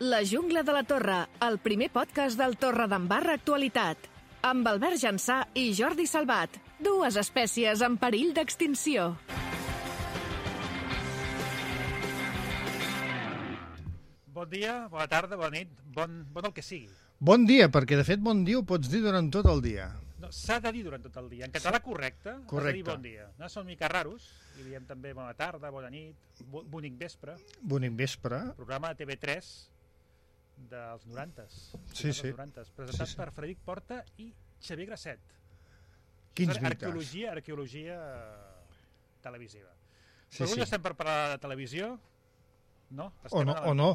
La jungla de la Torre, el primer podcast del Torredembarra Actualitat. Amb Albert Jansà i Jordi Salvat, dues espècies en perill d'extinció. Bon dia, bona tarda, bona nit, bon el que sigui. Bon dia, perquè de fet bon dia ho pots dir durant tot el dia. No, s'ha de dir durant tot el dia. En català correcte, has de dir bon dia. No, són mica raros, i diem també bona tarda, bona nit, bonic vespre. Bonic vespre. Programa de TV3 dels 90s. Sí, sí. 90s, presentat per Frederic Porta i Xavier Grasset. Quins mites. Arqueologia televisiva. Sí, Però avui sí. estem per parlar de televisió, no? O no.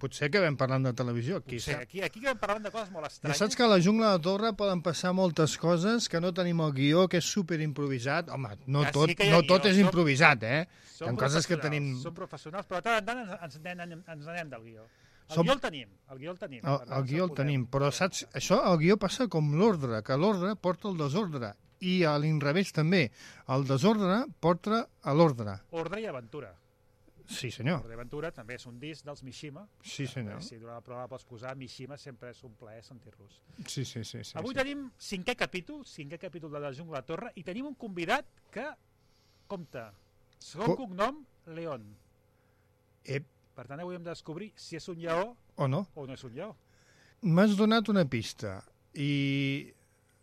Potser que vam parlant de televisió. Potser, aquí vam parlant de coses molt Ja estranyes. saps que a la jungla de la Torre poden passar moltes coses, que no tenim el guió, que és superimprovisat. Home, no Ja tot, sí que hi ha no tot guió, és improvisat, eh? Hi Som ha coses que professionals, tenim... Som professionals, però de tant en tant ens anem del guió. Som- El guió el tenim. El guió el tenim, però saps, això, el guió passa com l'ordre, que l'ordre porta el desordre, i a l'inrevés també. El desordre porta a l'ordre. Ordre i aventura. Sí, senyor. Ordre i aventura també és un disc dels Mishima. Sí, senyor. Si durant la prova pots posar Mishima, sempre és un plaer sentir-los. Sí. Avui tenim cinquè capítol de la Jungla de la Torre, i tenim un convidat que, compte, segon cognom, León. Per tant, avui hem de descobrir si és un lleó O no? o no és un lleó. M'has donat una pista i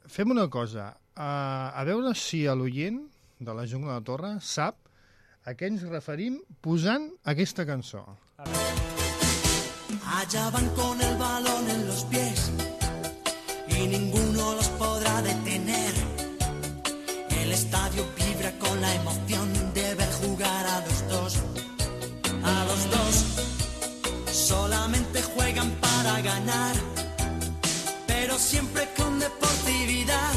fem una cosa, a veure si l'oient de la Jungla de la Torre sap a què ens referim posant aquesta cançó. Allá van con el balón en los pies y ninguno los podrá detener. El estadio vibra con la emoción de ver jugar a los dos. A los dos solamente juegan para ganar, pero siempre con deportividad.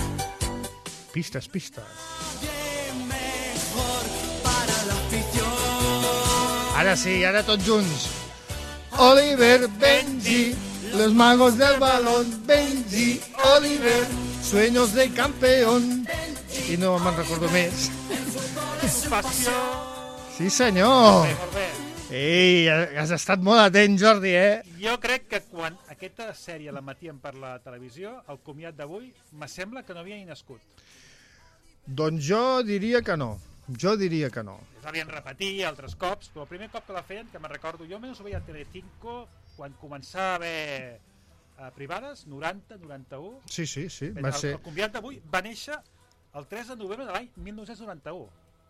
Pistes. Mejor para la afición. Ara sí, ara tots junts. Oliver, Benji, los magos del balón, Benji, Oliver, sueños de campeón. I no me'n recordo més. Passió! Sí, senyor. Molt bé. Ei, has estat molt atent, Jordi, eh? Jo crec que quan aquesta sèrie la matien per la televisió, el comiat d'avui, me sembla que no havia ni nascut. Doncs jo diria que no. Es havien repetit altres cops, però el primer cop que la feien, que me'n recordo, jo almenys ho veia a Telecinco quan començava a haver privades, 90, 91. Sí, Va ser... El convidat d'avui va néixer el 3 de novembre de l'any 1991.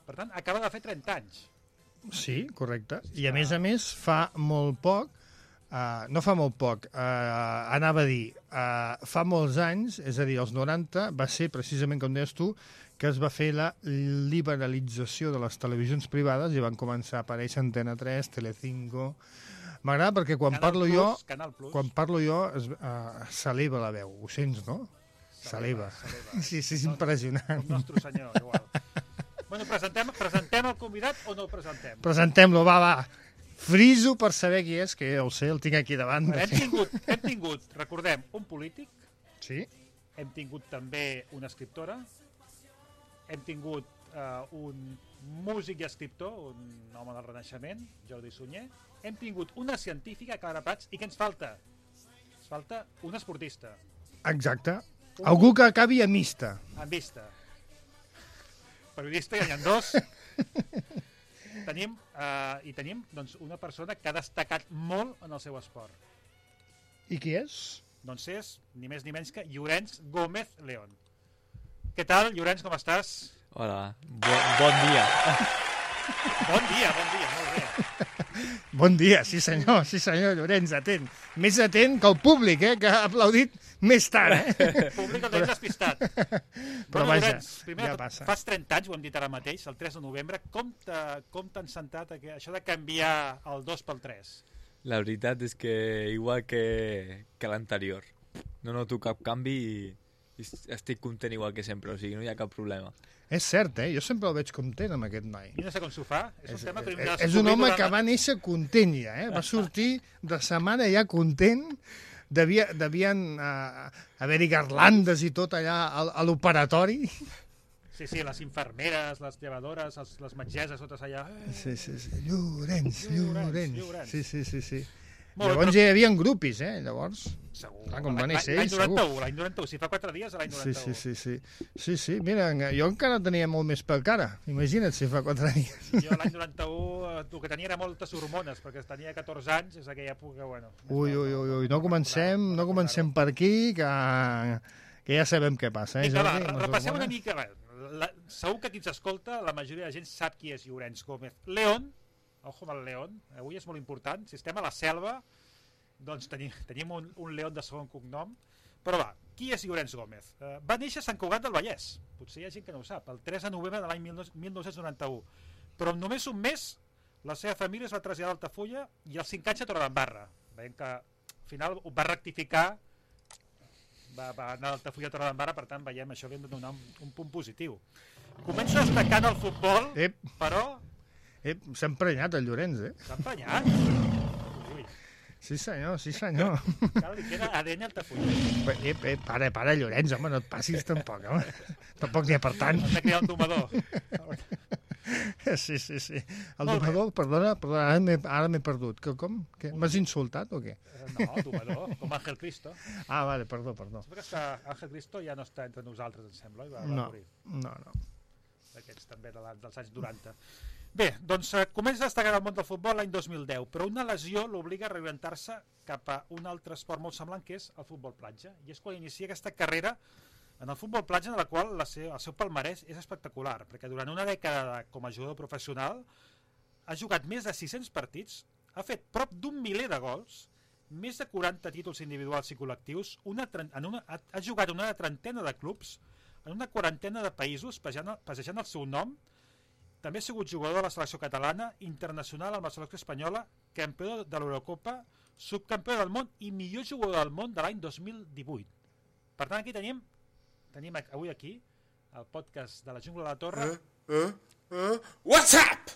Per tant, acaba de fer 30 anys. Sí, correcte. I a més, fa molt poc, no fa molt poc, anava a dir, fa molts anys, és a dir, els 90, va ser precisament, com deies tu, que es va fer la liberalització de les televisions privades i van començar a aparèixer Antena 3, Telecinco. M'agrada perquè quan parlo jo s'eleva la veu. Ho sents, no? S'eleva. Sí, és impressionant. El nostre senyor, igual. Bueno, presentem el convidat o no el presentem? Presentem-lo, va. Friso per saber qui és, que ja ho sé, el tinc aquí davant. Hem tingut, recordem, un polític. Sí. Hem tingut també una escriptora. Hem tingut un músic i escriptor, un home del Renaixement, Jordi Sunyer. Hem tingut una científica, Clara Prats, i què ens falta? Ens falta un esportista. Exacte. Algú que acabi a mixta. En vista. Periodista, ja n'hi ha dos. Tenim doncs, una persona que ha destacat molt en el seu esport. I qui és? Doncs és, ni més ni menys que Llorenç Gómez León. Què tal, Llorenç, com estàs? Hola, bon dia. Bon dia, molt bé. Bon dia, sí senyor, Llorenç, atent. Més atent que el públic, que ha aplaudit més tard. El públic el tenim despistat. Però vaja, Llorenç, primer, ja passa. Fas 30 anys, ho hem dit ara mateix, el 3 de novembre. Com t'han sentat això de canviar el 2 pel 3? La veritat és que igual que l'anterior. No noto cap canvi i estic content igual que sempre, o sigui, no hi ha cap problema. És cert, jo sempre el veig content amb aquest noi. I no sé com s'ho fa. És un home que va néixer content ja, va sortir de sa mare ja content, devien haver-hi garlandes i tot allà a l'operatori. Sí, les infermeres, les llevadores, les metgesses, totes allà. Sí. Llorenç. Sí. Llavors ja hi havia grupis, llavors. Segur. Clar, com va néixer ell, L'any 91, si fa 4 dies, l'any 91. Sí, mira, jo encara tenia molt més pel cara. Imagina't si fa 4 dies. Jo l'any 91 el que tenia era moltes hormones, perquè tenia 14 anys, és aquella època, bueno... Ui, no comencem per aquí, que ja sabem què passa. Vinga, va, repassem una mica. Segur que qui ens escolta, la majoria de gent sap qui és Llorenç Gómez. León, ojo amb el León, avui és molt important, si estem a la selva, doncs tenim un León de segon cognom, però va, qui és Llorenç Gómez? Va néixer a Sant Cugat del Vallès, potser hi ha gent que no ho sap, el 3 de novembre de l'any 1991, però en només un mes la seva família es va traslladar a Altafulla i als 5 anys a Torredembarra. Veiem que al final ho va rectificar, va anar a Altafulla a Torredembarra, per tant veiem això li hem de donar un punt positiu. Comença destacant el futbol, però... S'ha emprenyat el Llorenç, S'ha emprenyat? Ui. Sí senyor. Cal li queda ADN Altafulla. Para, Llorenç, home, no et passis tampoc, home. Tampoc n'hi ha per tant. Has de crear un domador. Sí. El domador, perdona, ara m'he perdut. Com? M'has insultat o què? No, domador, com Ángel Cristo. Ah, vale, perdó. Sempre que Ángel Cristo ja no està entre nosaltres, em sembla, i va morir. No. Aquests també dels anys 90. Bé, doncs comença a destacar al món del futbol l'any 2010, però una lesió l'obliga a reorientar-se cap a un altre esport molt semblant, que és el futbol platja. I és quan inicia aquesta carrera en el futbol platja, en la qual el seu palmarès és espectacular, perquè durant una dècada com a jugador professional ha jugat més de 600 partits, ha fet prop d'1 miler de gols, més de 40 títols individuals i col·lectius, ha jugat en una trentena de clubs, en una quarantena de països, passejant el seu nom. També ha sigut jugador de la selecció catalana, internacional amb la selecció espanyola, campió de l'Eurocopa, subcampió del món i millor jugador del món de l'any 2018. Per tant, aquí tenim avui aquí el podcast de la Jungla de la Torre. What's up?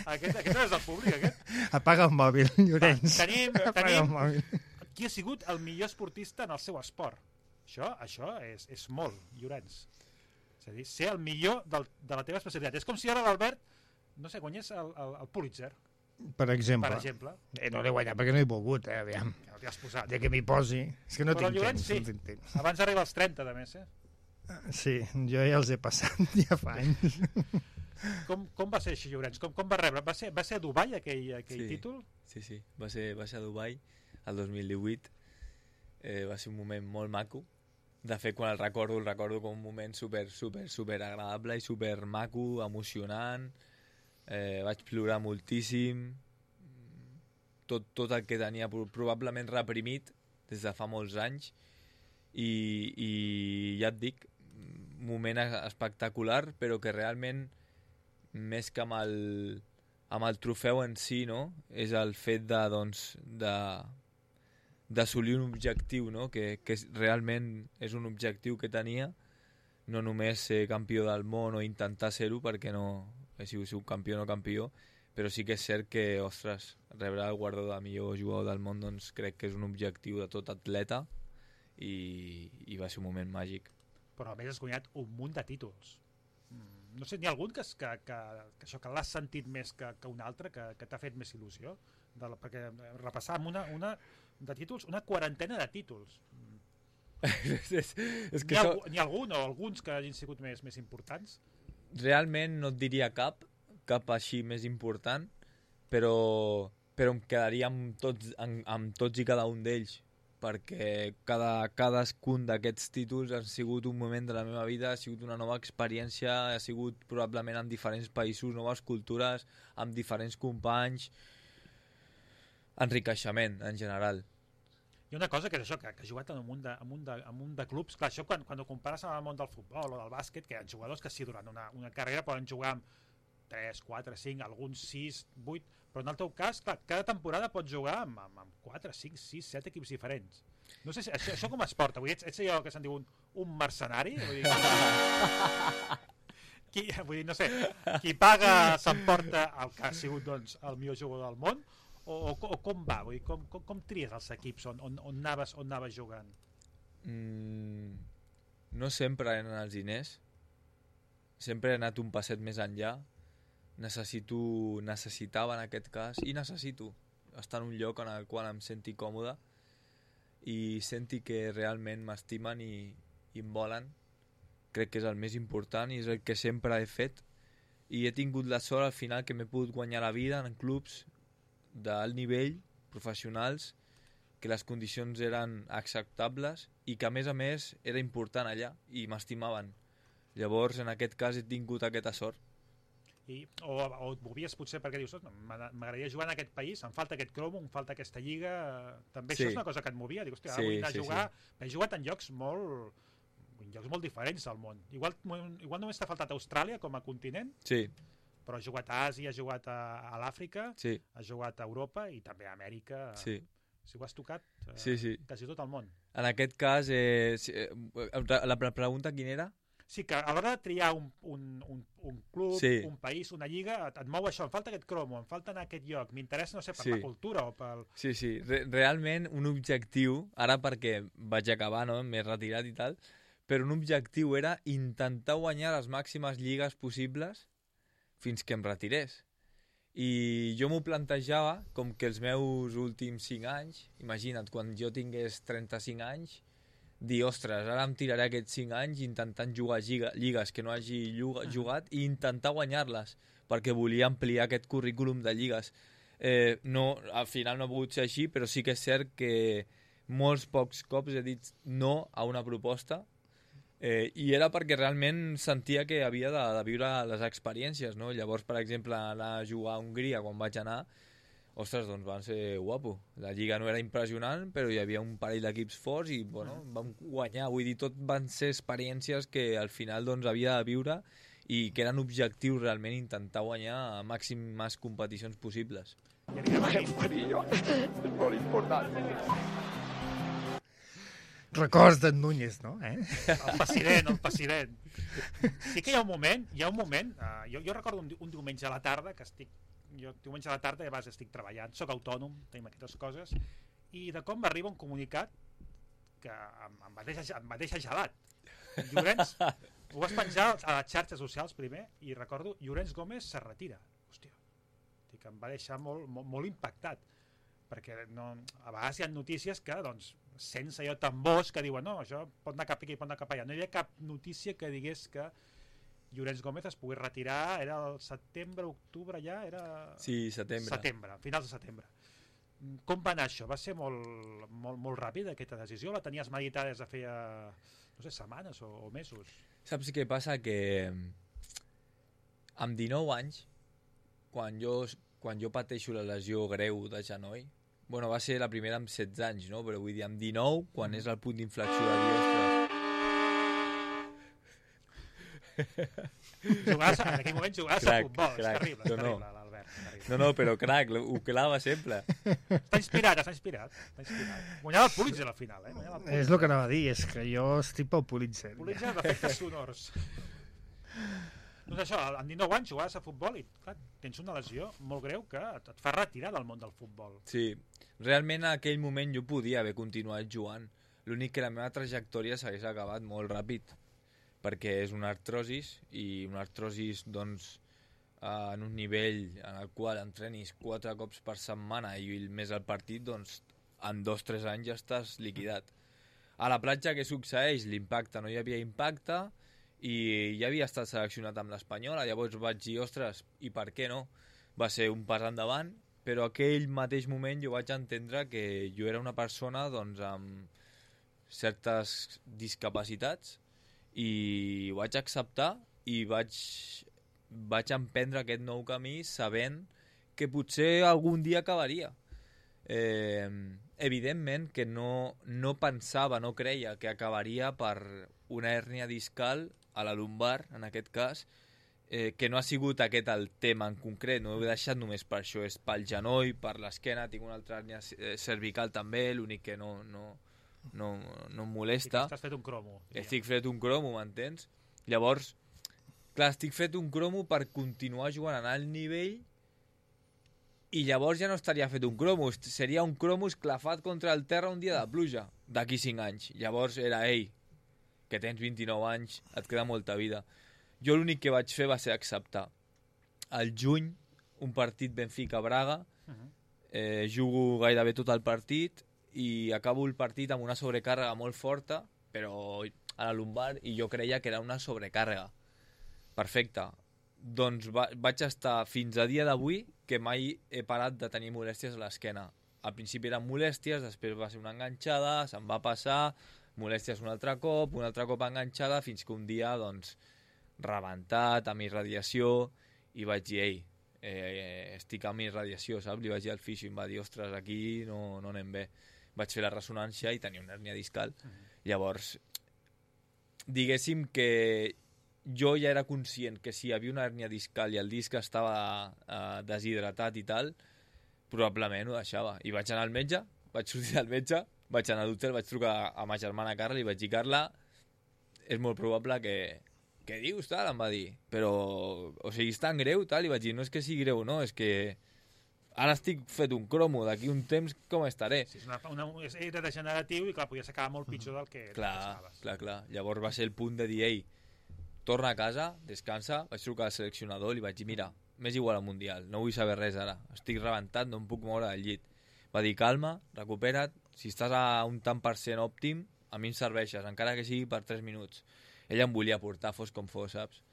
Aquest no és del públic, aquest? Apaga el mòbil, Llorenç. Tenim qui ha sigut el millor esportista en el seu esport. Això és molt, Llorenç. És a dir, ser el millor de la teva especialitat. És com si ara l'Albert, no sé, guanyés el Pulitzer. Per exemple. No l'he guanyat perquè no he volgut, aviam. Que no t'hi has posat. Ja que m'hi posi. És que no Però tinc Llorenç, temps. sí. Abans arriba als 30, de més, Sí, jo ja els he passat, ja fa anys. Com va ser així, Llorenç? Com va rebre? Va ser a Dubai, aquell títol? Sí. Va ser a Dubai, el 2018. Va ser un moment molt maco. De fet, quan el recordo com un moment super agradable i super maco, emocionant. Vaig plorar moltíssim. Tot el que tenia probablement reprimit des de fa molts anys. I ja et dic, moment espectacular, però que realment, més que amb el trofeu en si, no? És el fet d'assolir un objectiu, no? Que realment és un objectiu que tenia, no només ser campió del món o intentar ser-ho, perquè no he sigut campió o no campió, però sí que és cert que, ostres, rebre el guardó de millor jugador del món, doncs crec que és un objectiu de tot atleta i va ser un moment màgic. Però a més has guanyat un munt de títols. No sé, n'hi ha algun que això que l'has sentit més que un altre, que t'ha fet més il·lusió? Perquè repassàvem una de títols, una quarantena de títols. N'hi ha algun o alguns que hagin sigut més importants? Realment no et diria cap així més important, però em quedaria amb tots i cada un d'ells, perquè cadascun d'aquests títols ha sigut un moment de la meva vida, ha sigut una nova experiència, ha sigut probablement en diferents països, noves cultures, amb diferents companys, enriqueixement en general. Hi ha una cosa que és això, que ha jugat en un munt de clubs. Clar, això quan ho compares amb el món del futbol o del bàsquet, que hi ha jugadors que sí, durant una carrera poden jugar amb 3, 4, 5, alguns 6, 8, però en el teu cas, clar, cada temporada pots jugar amb 4, 5, 6, 7 equips diferents. No sé si això com es porta. Ets allò que se'n diu un mercenari? Vull dir, no sé, qui paga s'emporta el que ha sigut doncs, el millor jugador del món, o com va? Vull dir, com tries els equips on anaves jugant? No sempre eren els diners, sempre he anat un passet més enllà necessitava en aquest cas, i necessito estar en un lloc en el qual em senti còmode i senti que realment m'estimen i em volen. Crec que és el més important i és el que sempre he fet, i he tingut la sort al final que m'he pogut guanyar la vida en clubs d'alt nivell, professionals, que les condicions eren acceptables i que a més era important allà i m'estimaven. Llavors en aquest cas he tingut aquesta sort. O et movies potser perquè dius, m'agradaria jugar en aquest país, em falta aquest cromo, em falta aquesta lliga, també Sí. això és una cosa que et movia, dic, hòstia, Sí, vull anar a sí, jugar, he jugat en llocs molt diferents del món, igual només t'ha faltat Austràlia com a continent, Sí, però has jugat a Àsia, has jugat a l'Àfrica, sí, has jugat a Europa i també a Amèrica, sí. si ho has tocat Sí. quasi tot el món. En aquest cas, la pregunta quina era? Sí, que a l'hora de triar un club, Sí. un país, una lliga, et mou això, em falta aquest cromo, em falta anar a aquest lloc, m'interessa, no sé, per Sí. la cultura o pel... Sí. Realment un objectiu, ara perquè vaig acabar, no? M'he retirat i tal, però un objectiu era intentar guanyar les màximes lligues possibles fins que em retirés. I jo m'ho plantejava com que els meus últims 5 anys, imagina't, quan jo tingués 35 anys, dir, ostres, ara em tiraré aquests 5 anys intentant jugar lligues que no hagi jugat i intentar guanyar-les, perquè volia ampliar aquest currículum de lligues. No, al final no ha pogut ser així, però sí que és cert que molts pocs cops he dit no a una proposta, i era perquè realment sentia que havia de viure les experiències, no? Llavors, per exemple, anar a jugar a Hongria quan vaig anar, ostres, doncs van ser guapo. La lliga no era impressionant, però hi havia un parell d'equips forts i, bueno, vam guanyar. Vull dir, tot van ser experiències que al final doncs havia de viure i que eren objectius realment intentar guanyar a màximes competicions possibles. I evidentment, Records d'en Núñez, no? el president. Sí que hi ha un moment, jo recordo un diumenge a la tarda, diumenge a la tarda i a vegades estic treballant, soc autònom, tenim aquestes coses, i de cop m'arriba un comunicat que em va deixar gelat. Llorenç, ho vas penjar a les xarxes socials primer, i recordo, Llorenç Gómez se retira. Hòstia, em va deixar molt impactat, perquè a vegades hi ha notícies que, doncs, sense allò tambors que diuen, no, això pot anar cap aquí, pot anar cap allà. No hi havia cap notícia que digués que Llorenç Gómez es pogués retirar, era el setembre, octubre ja, era... Sí, setembre. Finals de setembre. Com va anar això? Va ser molt ràpid aquesta decisió? La tenies meditada des de feia, no sé, setmanes o mesos? Saps què passa? Que amb 19 anys, quan jo pateixo la lesió greu de genoll, bueno, va ser la primera amb 16 anys, no? Però vull dir, amb 19, quan és el punt d'inflexió de dir, ostres... En aquell moment jugaves a futbol, és terrible, l'Albert. No, però crac, ho clava sempre. Està inspirat. Guanyava el Pulitzer al final, És el que anava a dir, és que jo estic pel Pulitzer. Pulitzer d'efectes sonors. Doncs això, amb 19 anys jugaves a futbol i clar, tens una lesió molt greu que et fa retirar del món del futbol. Sí, realment en aquell moment jo podia haver continuat jugant. L'únic que la meva trajectòria s'hagués acabat molt ràpid, perquè és una artrosis, i una artrosis, doncs, en un nivell en el qual entrenis 4 cops per setmana i més al partit, doncs, en 2-3 anys ja estàs liquidat. A la platja què succeeix? L'impacte, no hi havia impacte, i ja havia estat seleccionat amb l'Espanyola, llavors vaig dir, ostres, i per què no? Va ser un pas endavant, però aquell mateix moment jo vaig entendre que jo era una persona, doncs, amb certes discapacitats, i ho vaig acceptar i vaig emprendre aquest nou camí sabent que potser algun dia acabaria. Evidentment que no pensava, no creia que acabaria per una hèrnia discal a la lumbar, en aquest cas, que no ha sigut aquest el tema en concret, no ho he deixat només per això, és pel genoll, per l'esquena, tinc una altra hèrnia cervical també, l'únic que no em molesta. I t'has fet un cromo. Estic fet un cromo, m'entens? Llavors, clar, estic fet un cromo per continuar jugant a alt nivell i llavors ja no estaria fet un cromo, seria un cromo esclafat contra el terra un dia de pluja, d'aquí 5 anys. Llavors era, ei, que tens 29 anys, et queda molta vida. Jo l'únic que vaig fer va ser acceptar. al juny, un partit Benfica-Braga, jugo gairebé tot el partit i acabo el partit amb una sobrecàrrega molt forta, però a la lumbar, i jo creia que era una sobrecàrrega. Perfecte. Doncs vaig estar fins a dia d'avui que mai he parat de tenir molèsties a l'esquena. Al principi eren molèsties, després va ser una enganxada, se'm va passar, molèsties un altre cop enganxada, fins que un dia, doncs, rebentat, amb irradiació, i vaig dir, ei, estic amb irradiació, saps? Li vaig dir al fisio i em va dir, ostres, aquí no anem bé. Vaig fer la ressonància i tenia una hèrnia discal. Llavors, diguéssim que jo ja era conscient que si hi havia una hèrnia discal i el disc estava deshidratat i tal, probablement ho deixava. I vaig anar al metge, vaig sortir del metge, vaig anar a l'hotel, vaig trucar a ma germana Carla i vaig dir, Carla, és molt probable que... Què dius, tal? Em va dir. Però, o sigui, és tan greu, tal? I vaig dir, no és que sigui greu, no, és que ara estic fet un cromo, d'aquí un temps com estaré? Sí, era degeneratiu i, clar, podia ser acabar molt pitjor del que pensaves. Clar. Llavors va ser el punt de dir, ei, torna a casa, descansa, vaig trucar al seleccionador i li vaig dir, mira, m'és igual al Mundial, no vull saber res ara, estic rebentat, no em puc moure del llit. Va dir, calma, recupera't, si estàs a un tant per cent òptim, a mi em serveixes, encara que sigui per 3 minuts. Ella em volia portar, fos com fos, saps?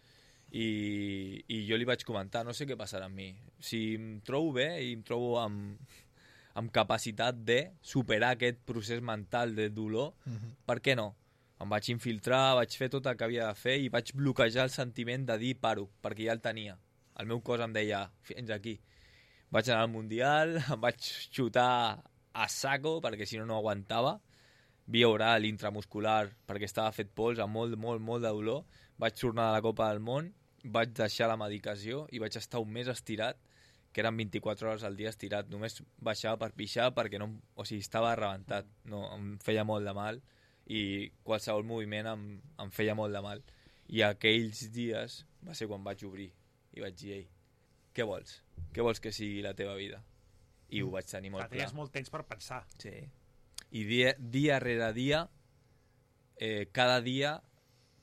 I jo li vaig comentar, no sé què passarà amb mi. Si em trobo bé i em trobo amb capacitat de superar aquest procés mental de dolor, per què no? Em vaig infiltrar, vaig fer tot el que havia de fer i vaig bloquejar el sentiment de dir paro, perquè ja el tenia. El meu cos em deia, fins aquí. Vaig anar al Mundial, em vaig xutar a saco, perquè si no, no aguantava. Via oral, intramuscular, perquè estava fet pols, amb molt de dolor. Vaig tornar a la Copa del Món, vaig deixar la medicació i vaig estar un mes estirat, que eren 24 hores al dia estirat. Només baixava per pixar perquè no, o sigui, estava rebentat. No, em feia molt de mal i qualsevol moviment em feia molt de mal. I aquells dies va ser quan vaig obrir i vaig dir, ei, què vols? Què vols que sigui la teva vida? I ho vaig tenir molt clar. Tenies molt temps per pensar. Sí. I dia rere dia, cada dia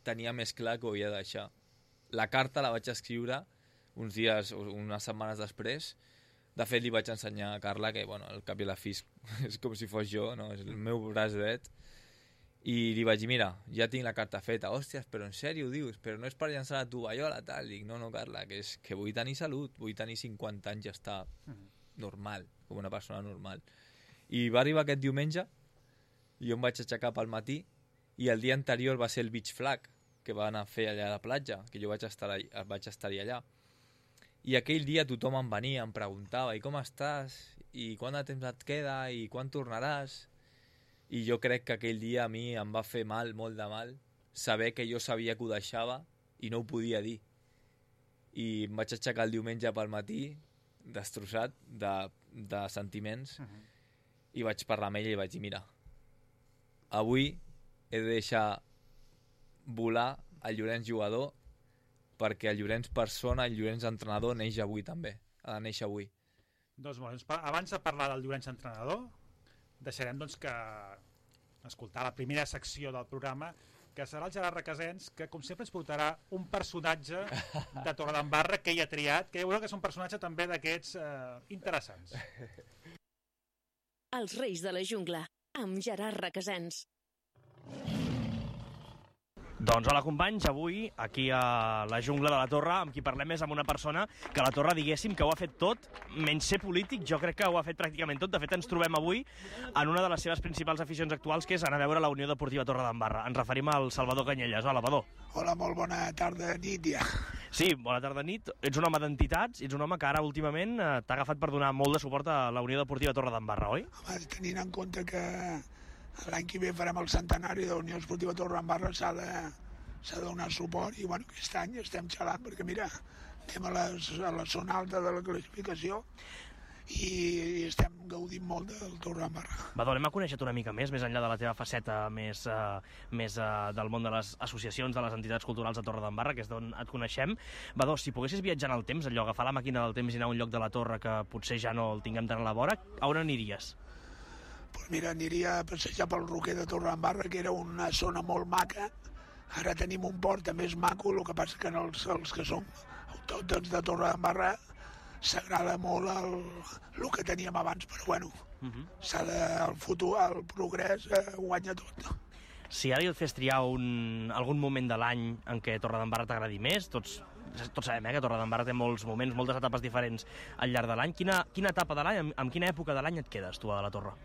tenia més clar que ho havia de deixar. La carta la vaig escriure uns dies, unes setmanes després. De fet, li vaig ensenyar a Carla que, bueno, el cap i la fi és com si fos jo, no? És el meu braç dret. I li vaig dir, mira, ja tinc la carta feta. Hòsties, però en sèrio ho dius? Però no és per llançar la tovallola, tal. Dic, no, Carla, que és que vull tenir salut, vull tenir 50 anys i estar normal, com una persona normal. I va arribar aquest diumenge, i jo em vaig aixecar pel matí, i el dia anterior va ser el beach flag, que va anar a fer allà a la platja, que jo vaig estar-hi allà. I aquell dia tothom em venia, em preguntava, i com estàs? I quant de temps et queda? I quan tornaràs? I jo crec que aquell dia a mi em va fer mal, molt de mal, saber que jo sabia que ho deixava i no ho podia dir. I em vaig aixecar el diumenge pel matí, destrossat de sentiments, i vaig parlar amb ella i vaig dir, mira, avui he de deixar volar el Llorenç jugador perquè el Llorenç persona, el Llorenç entrenador neix avui també, ha de néixer avui. Doncs abans de parlar del Llorenç entrenador, deixarem doncs que escoltar la primera secció del programa, que serà el Gerard Requesens, que com sempre ens portarà un personatge de Torredembarra que ell ha triat, que ja veureu que és un personatge també d'aquests interessants. Els Reis de la Jungla, amb Gerard Requesens. Doncs hola companys, avui aquí a la Jungla de la Torre amb qui parlem és amb una persona que a la Torre diguéssim que ho ha fet tot, menys ser polític, jo crec que ho ha fet pràcticament tot. De fet ens trobem avui en una de les seves principals aficions actuals, que és anar a veure la Unió Deportiva Torredembarra. Ens referim al Salvador Canyelles. Hola, Vadó. Hola, molt bona tarda, nit ja. Sí, bona tarda, nit. Ets un home d'entitats, ets un home que ara últimament t'ha agafat per donar molt de suport a la Unió Deportiva Torredembarra, oi? Home, tenint en compte que l'any que ve farem el centenari de la Unió Esportiva Torredembarra, s'ha de donar suport, i bueno, aquest any estem xalant perquè mira, anem a la zona alta de la classificació i estem gaudint molt del Torredembarra. Vadó, anem a conèixer-te una mica més enllà de la teva faceta més del món de les associacions, de les entitats culturals de Torredembarra, que és d'on et coneixem. Vadó, si poguessis viatjar en el temps, allò, agafar la màquina del temps i anar a un lloc de la Torre que potser ja no el tinguem tan a la vora, a on aniries? Pues mira, aniria a passejar pel Roquer de Torredembarra, que era una zona molt maca. Ara tenim un port més maco, el que passa que els que som autòctons de Torredembarra s'agrada molt el que teníem abans, però bueno, el futur, el progrés guanya tot. Si ara jo et fes triar algun moment de l'any en què Torredembarra t'agradi més, tots sabem que Torredembarra té molts moments, moltes etapes diferents al llarg de l'any. Quina etapa de l'any, amb quina època de l'any et quedes, tu, a la Torre?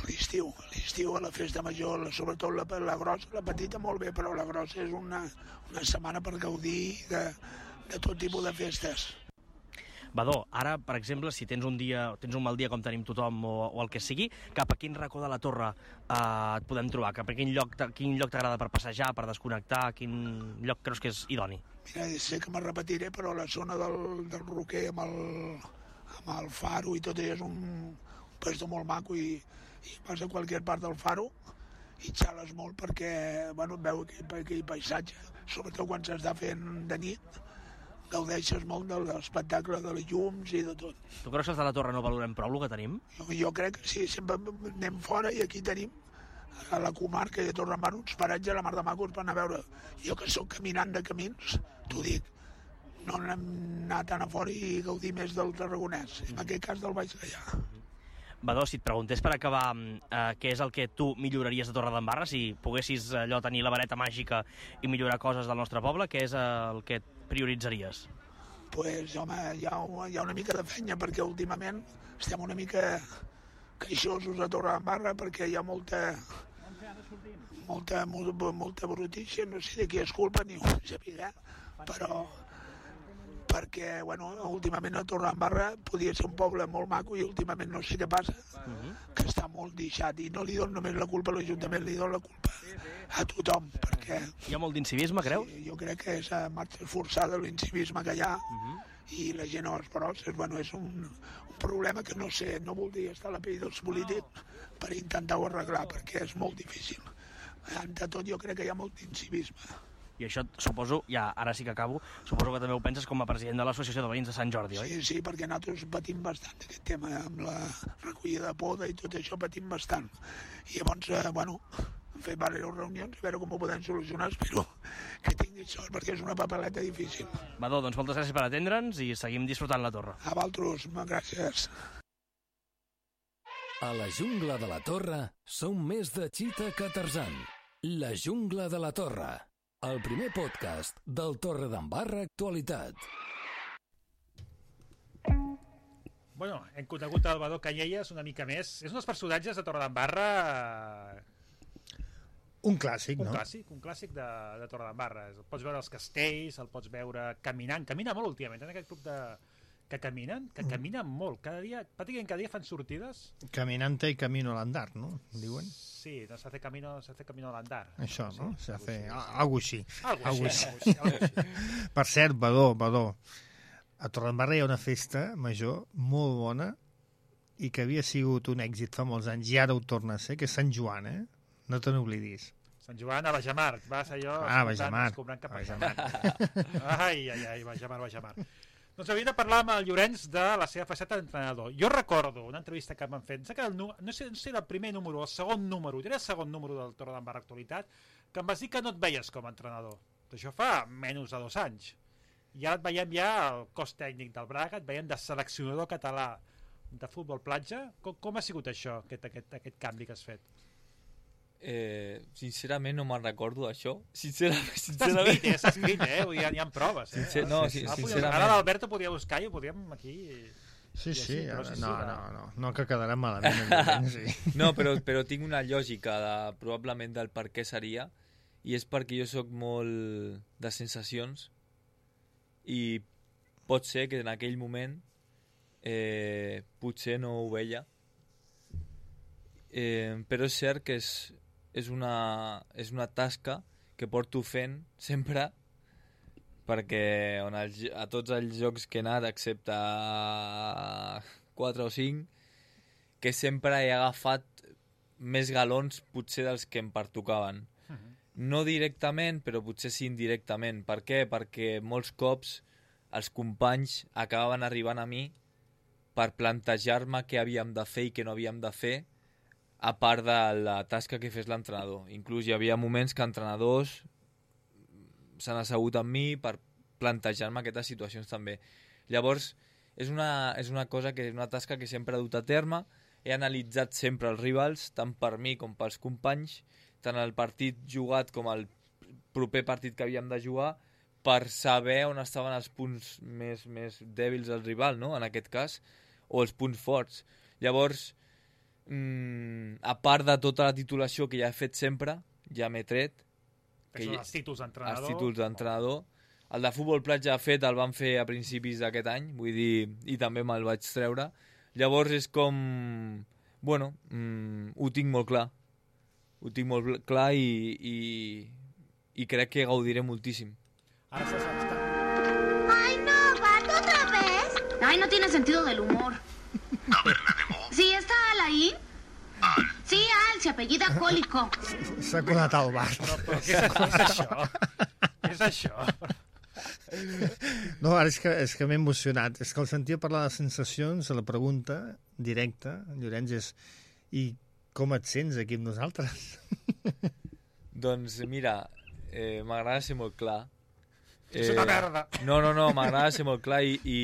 L'estiu, a la festa major, sobretot la grossa, la petita molt bé, però la grossa és una setmana per gaudir de tot tipus de festes. Badó, ara, per exemple, si tens un mal dia com tenim tothom o el que sigui, cap a quin racó de la Torre et podem trobar? Cap a quin lloc t'agrada per passejar, per desconnectar? Quin lloc creus que és idoni? Mira, sé que me repetiré, però la zona del Roquer amb el faro i tot és un puesto molt maco i vas a qualsevol part del faro i xales molt perquè veu aquell paisatge, sobretot quan s'està fent de nit, gaudeixes molt de l'espectacle de les llums i de tot. Tu creus que els de la Torre no valorem prou el que tenim? Jo crec que sí, sempre anem fora i aquí tenim a la comarca de Torredembarra uns paratges a la mar de macos per anar a veure. Jo que sóc caminant de camins, t'ho dic, no hem anat tant a fora i gaudir més del Tarragonès, en aquest cas del Baix Gaià. Badó, si et preguntés per acabar què és el que tu milloraries de Torredembarra, si poguessis allò tenir la vareta màgica i millorar coses del nostre poble, què és el que prioritzaries? Pues, home, hi ha una mica de feina, perquè últimament estem una mica queixosos a Torredembarra, perquè hi ha molta brutícia, no sé de qui és culpa ni ho saber, però perquè, últimament a Torredembarra podia ser un poble molt maco i últimament no sé què passa, que està molt deixat i no li dono només la culpa a l'Ajuntament, li dono la culpa a tothom, perquè... Hi ha molt d'incivisme, creus? Sí, jo crec que és a marxa forçada l'incivisme que hi ha i la gent a les paròxies, és un problema que no sé, no voldria estar a la pell dels polítics per intentar-ho arreglar, perquè és molt difícil. De tot jo crec que hi ha molt d'incivisme. I això, suposo, ara sí que acabo, suposo que també ho penses com a president de l'Associació de Veïns de Sant Jordi, oi? Sí, perquè nosaltres patim bastant aquest tema, amb la recollida de poda i tot això patim bastant. I llavors, hem fet diverses reunions, a veure com ho podem solucionar, espero que tingui sort, perquè és una papeleta difícil. Badó, doncs moltes gràcies per atendre'ns i seguim disfrutant la Torre. A vosaltres, gràcies. A la jungla de la Torre som més de Chita que Tarzan. La jungla de la Torre. El primer podcast del Torredembarra Actualitat. Hem conegut el Badó Canyelles una mica més. És un dels personatges de Torredembarra... Un clàssic, no? Un clàssic de Torredembarra. El pots veure als castells, el pots veure caminant. Camina molt últimament, en aquest club que caminen molt. Pràcticament cada dia fan sortides. Caminante y camino al andar, ¿no? Diuen. Sí, no se hace camino al andar. Això, sí, no? Se hace algo així. Algo així. Per cert, Badó, a Torredembarra hi ha una festa major molt bona i que havia sigut un èxit fa molts anys i ara ho torna a ser, que és Sant Joan, eh? No te n'oblidis. Sant Joan a Bajamar. Vas allò... Bajamar. Ai, Bajamar. Doncs hauria de parlar amb el Llorenç de la seva faceta d'entrenador. Jo recordo una entrevista que m'han fet, no sé el primer número o el segon número, era el segon número del Torredembarra Actualitat, que em vas dir que no et veies com a entrenador. Això fa menys de 2 anys. I ara et veiem ja al cos tècnic del Braga, et veiem de seleccionador català de futbol platja. Com ha sigut això, aquest canvi que has fet? Sincerament no me'n recordo això. Sincerament. Està escrit, hi ha proves. Sincerament. Ara l'Alberto podia buscar i ho podíem aquí... Sí. No que quedarà malament. No, però tinc una lògica probablement del per què seria, i és perquè jo sóc molt de sensacions i pot ser que en aquell moment potser no ho veia, però és cert que és una tasca que porto fent sempre, perquè a tots els jocs que he anat, excepte 4 o 5, que sempre he agafat més galons potser dels que em pertocaven. No directament, però potser sí indirectament. Per què? Perquè molts cops els companys acabaven arribant a mi per plantejar-me què havíem de fer i què no havíem de fer, a part de la tasca que fes l'entrenador. Inclús hi havia moments que entrenadors s'han assegut amb mi per plantejar-me aquestes situacions també. Llavors, és una cosa que és una tasca que sempre he dut a terme. He analitzat sempre els rivals, tant per mi com pels companys, tant el partit jugat com el proper partit que havíem de jugar, per saber on estaven els punts més dèbils del rival, no? En aquest cas, o els punts forts. Llavors, a part de tota la titulació que ja he fet sempre, ja m'he tret. Que són els títols d'entrenador. Els títols d'entrenador. El de futbol platja fet el van fer a principis d'aquest any, vull dir, i també me'l vaig treure. Llavors és com... Bueno, ho tinc molt clar. Ho tinc molt clar i crec que gaudiré moltíssim. Ara se sap. ¡Ay, no, gato, otra vez! Ay, no tiene sentido del humor. Taberna de Mo. ¿Sí está Al ahí? Al. Sí, Al, se apellida Cólico. S'ha colat al bar. No, però què és això? Què és això? No, ara és que m'he emocionat. És que el sentia parlar de sensacions, la pregunta directa, Llorenç, és i com et sents aquí amb nosaltres? Doncs mira, m'agrada ser molt clar. És una merda. No, m'agrada ser molt clar i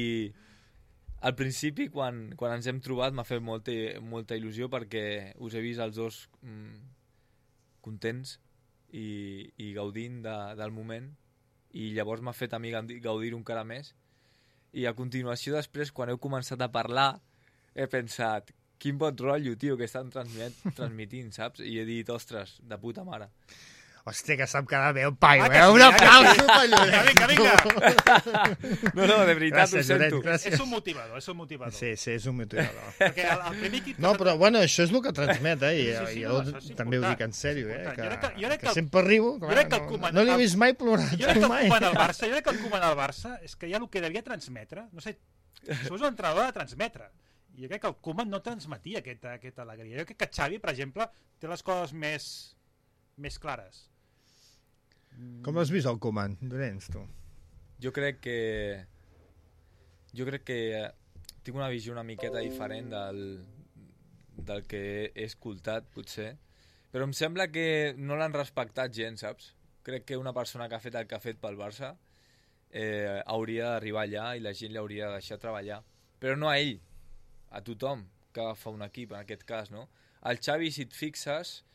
al principi, quan ens hem trobat, m'ha fet molta il·lusió perquè us he vist els dos contents i gaudint del moment, i llavors m'ha fet a mi gaudir-ho encara més. I a continuació, després, quan heu començat a parlar, he pensat, quin bon rotllo, tio, que estan transmitint, saps? I he dit, ostres, de puta mare. Hòstia, que sap cada veu, paio, Un aplauso per Llorenç. Vinga. No, de veritat, Gràcies, ho sento. Llorenç, gràcies. És un motivador. Sí, és un motivador. Perquè el primer equip... No, però bueno, això és el que transmet, i Sí, jo això és també ho important. dic en sèrio, Jo crec que sempre riu. jo crec que el Koeman- No l'he vist mai plorar. Jo crec que el mai. Koeman al Barça, és que ja el que devia transmetre, no sé, això és un entrenador de transmetre. I jo crec que el Koeman no transmetia aquesta alegria. Jo crec que Xavi, per exemple, té les coses més clares. Com l'has vist, el Koeman, Llorenç, tu? Jo crec que tinc una visió una miqueta diferent del que he escoltat, potser. Però em sembla que no l'han respectat gens, saps? Crec que una persona que ha fet el que ha fet pel Barça hauria d'arribar allà i la gent l'hauria de deixar treballar. Però no a ell, a tothom que agafa un equip, en aquest cas, no? El Xavi, si et fixes,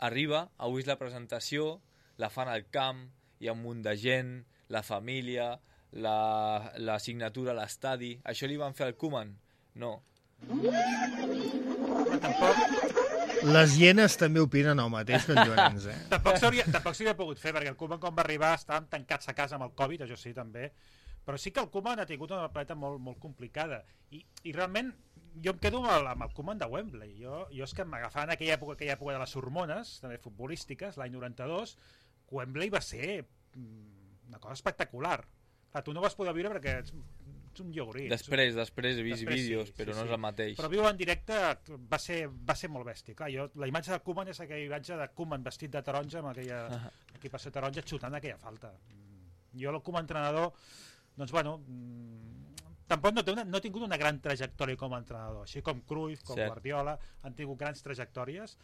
arriba, ha vist la presentació, la fan al camp, hi ha un munt de gent, la família, la signatura a l'estadi. Això li van fer al Koeman? No. Les hienes també opinen el mateix que en Llorenç, Tampoc s'hauria pogut fer, perquè el Koeman, quan va arribar, estàvem tancats a casa amb el Covid, això sí, també. Però sí que el Koeman ha tingut una planeta molt complicada. I realment, jo em quedo amb el Koeman de Wembley. Jo és que m'agafava en aquella època de les hormones, també futbolístiques, l'any 92, Wembley va ser una cosa espectacular. Clar, tu no vas poder viure perquè ets un llogorí. Després he vist vídeos, però no és el mateix. Però viure en directe va ser molt bèstia. Clar, la imatge de Koeman és aquella imatge de Koeman vestit de taronja amb aquella equipació taronja xutant aquella falta. Jo, el Koeman entrenador, doncs bueno, tampoc no ha tingut una gran trajectòria com a entrenador, així com Cruyff, com Guardiola, han tingut grans trajectòries.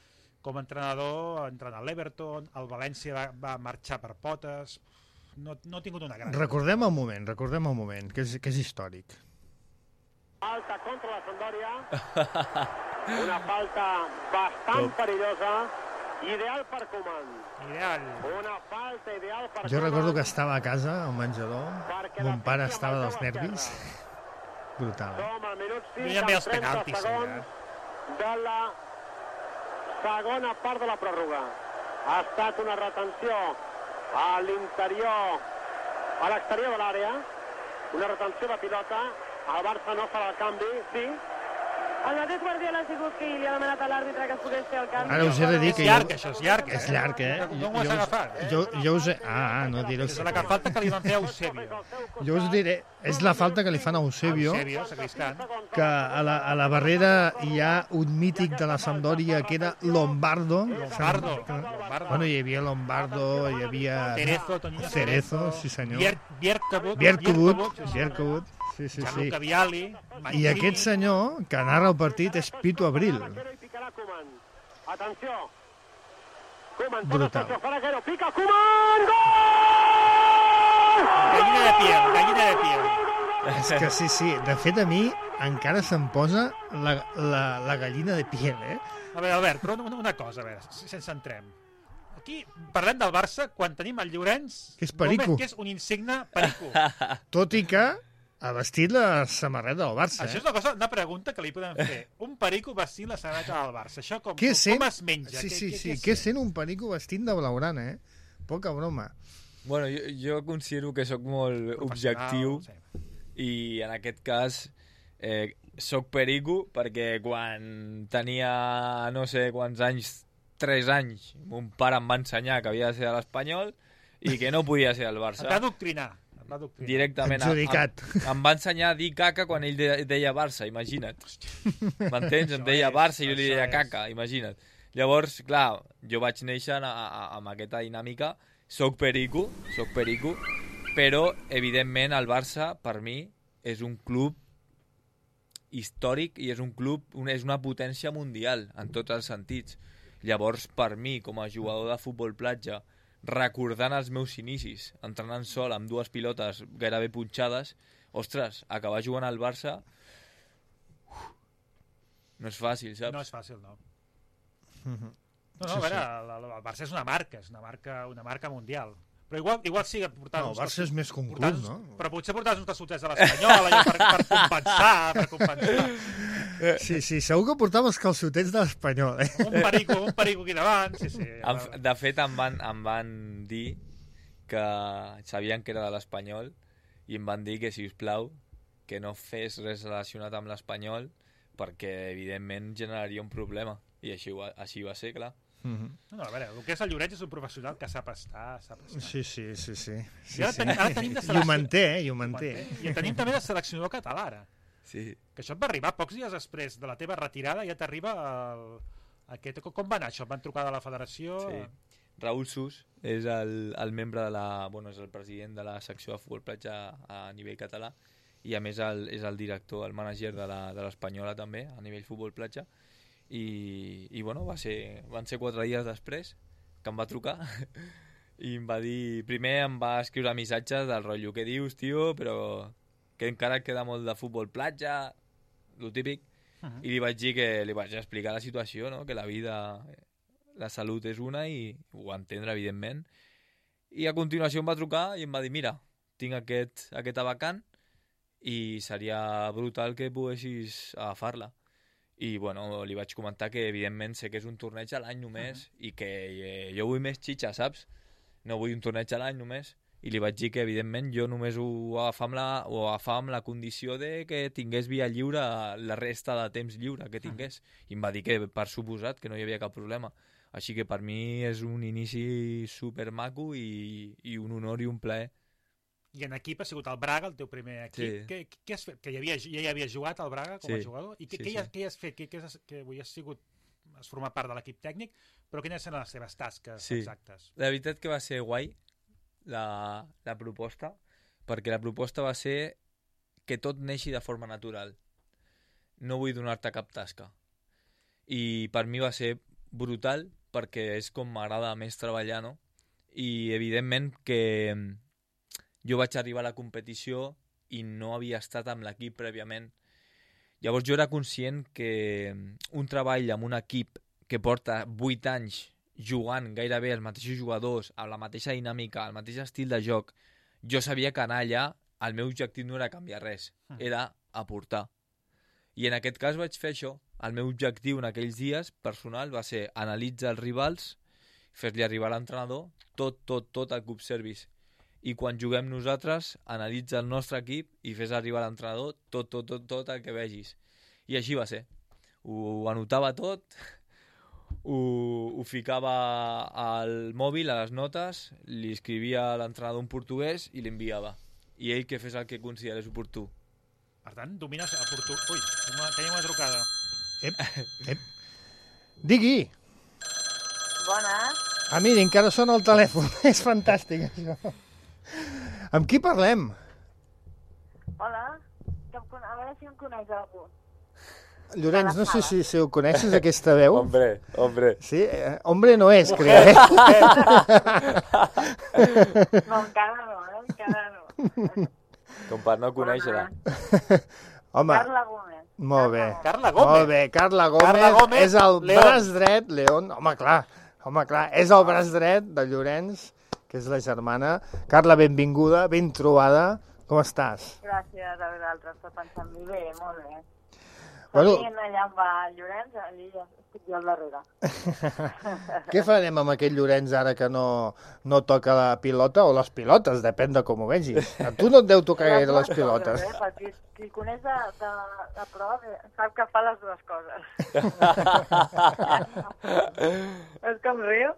Com a entrenador, entrenat a l'Everton, el València va marxar per potes, no ha tingut una gran... Recordem el moment, que és històric. Falta contra la Sampdoria, una falta bastant perillosa, ideal per Koeman. Una falta ideal per Koeman. Jo recordo que estava a casa, al menjador, mon pare estava dels nervis. Brutal. Som al minut 5 Jo ja em veia els amb 30 penaltis, segons de la segona part de la pròrroga. Ha estat una retenció a l'interior, a l'exterior de l'àrea, una retenció de pilota. El Barça no farà el canvi, sí. El mateix Guardiola ha sigut qui li ha demanat a l'àrbitre que es pogués fer el canvi. Ara us he de dir que... És llarg, això, és llarg. És llarg, No ho has agafat. Jo us he... no diré... És la falta que li van fer a Eusebio. Jo us diré, és la falta que li fan a Eusebio, Sacristán, que a la barrera hi ha un mític de la Sampdoria que era Lombardo. Bueno, hi havia Lombardo, hi havia... Cerezo, sí senyor. Bierkobut. Sí. Gianluca Vialli. I aquest senyor, que narra el partit, és Pito Abril. Atenció. Koeman, brutal. Pica Koeman! Gol! Gallina de piel. És que sí. De fet, a mi encara se'm posa la gallina de piel, eh? A veure, Albert, però una cosa, a veure, si ens centrem. Aquí parlem del Barça quan tenim el Llorenç Que és perico. Gómez, que és un insigne perico. Tot i que ha vestit la samarreta del Barça, Això és una pregunta que li podem fer. Un perico vestint la samarreta del Barça. Això com es menja? Sí. Què sent un perico vestint de blaugrana, eh? Poca broma. Bueno, jo considero que sóc molt objectiu i en aquest cas soc perico perquè quan tenia no sé quants anys, 3 anys, mon pare em va ensenyar que havia de ser de l'Espanyol i que no podia ser del Barça. Et va adoctrinar. Directament. Em va ensenyar a dir caca quan ell deia Barça, imagina't. M'entens? Em deia Barça i jo li deia caca, imagina't. Llavors, clar, jo vaig néixer amb aquesta dinàmica. Soc perico, però, evidentment, el Barça, per mi, és un club històric i és un club, és una potència mundial, en tots els sentits. Llavors, per mi, com a jugador de futbol platja, recordant els meus inicis, entrenant sol amb 2 pilotes gairebé punxades, ostres, acabar jugant al Barça no és fàcil, saps? No és fàcil, no. No, a veure, el Barça és una marca mundial. Però igual sí que portar... No, el Barça és més que un club, no? Però potser portar uns calçotets de l'Espanyol per compensar. Sí, segur que portava els calçotets de l'Espanyol, eh? Un perico aquí davant, sí. De fet, em van dir que sabien que era de l'Espanyol i em van dir que, si us plau, que no fes res relacionat amb l'Espanyol perquè, evidentment, generaria un problema. I així va ser, clar. No, a veure, el que és el Llorenç és un professional que sap estar. Sí. I ara tenim de I ho manté. I tenim també de seleccionador català, ara. Sí. Que això et va arribar pocs dies després de la teva retirada, ja t'arriba aquest... Com va anar això? Et van trucar de la federació? Sí. Raül Sus és el membre de és el president de la secció de futbol platja a nivell català i a més és el director, el mànager de l'Espanyola també, a nivell futbol platja. I bueno, van ser 4 dies després que em va trucar i em va dir, primer em va escriure missatges del rotllo, què dius, tio, però que encara queda molt de futbol platja, lo típic, i li vaig dir que li vaig explicar la situació, no? Que la vida, la salut és una i ho va entendre, evidentment, i a continuació em va trucar i em va dir, mira, tinc aquesta vacant i seria brutal que poguessis agafar-la. I bueno, li vaig comentar que evidentment sé que és un torneig a l'any només i que jo vull més xitxa, saps? No vull un torneig a l'any només. I li vaig dir que evidentment jo només ho agafava amb la condició de que tingués via lliure la resta de temps lliure que tingués. I em va dir que per suposat que no hi havia cap problema. Així que per mi és un inici supermaco i un honor i un plaer. I en equip ha sigut el Braga, el teu primer equip. Sí. Què has fet? Que ja hi havies jugat al Braga com a jugador? I què has fet? Que avui has format part de l'equip tècnic, però quines eren les teves tasques exactes? La veritat que va ser guai la proposta, perquè la proposta va ser que tot neixi de forma natural. No vull donar-te cap tasca. I per mi va ser brutal, perquè és com m'agrada més treballar, no? I evidentment que jo vaig arribar a la competició i no havia estat amb l'equip prèviament. Llavors jo era conscient que un treball amb un equip que porta 8 anys jugant gairebé els mateixos jugadors, amb la mateixa dinàmica, el mateix estil de joc, jo sabia que anar allà el meu objectiu no era canviar res, era aportar. I en aquest cas vaig fer això. El meu objectiu en aquells dies personal va ser analitzar els rivals, fer-li arribar a l'entrenador tot el club service. I quan juguem nosaltres, analitza el nostre equip i fes arribar a l'entrenador tot el que vegis. I així va ser. Ho anotava tot, ho ficava al mòbil, a les notes, li escrivia a l'entrenador en portuguès i l'enviava. I ell que fes el que considerés oportú. Per tant, domines el portuguès. Ui, tenim una trucada. Ep. Digui. Bones. Ah, mira, encara sona el telèfon. És fantàstic, això. Amb qui parlem? Hola. A veure si em coneix algú. Llorenç, no sé si ho coneixes, aquesta veu. Hombre. Sí? Hombre no és, crec. No, encara no. Com per no conèixer-la. Home, Carla Gómez. molt bé. Carla Gómez. Molt bé, Carla Gómez és el braç dret, León. Home, clar, és el braç dret de Llorenç, que és la germana. Carla, benvinguda, ben trobada. Com estàs? Gràcies a vosaltres per pensar en mi. Bé, molt bé. Bueno, Allà on va el Llorenç, allí ja estic jo al darrere. què farem amb aquest Llorenç ara que no toca la pilota o les pilotes? Depèn de com ho vegis. A tu no et deu tocar gaire les pilotes. Perquè qui coneix de prova sap que fa les dues coses. És com riu?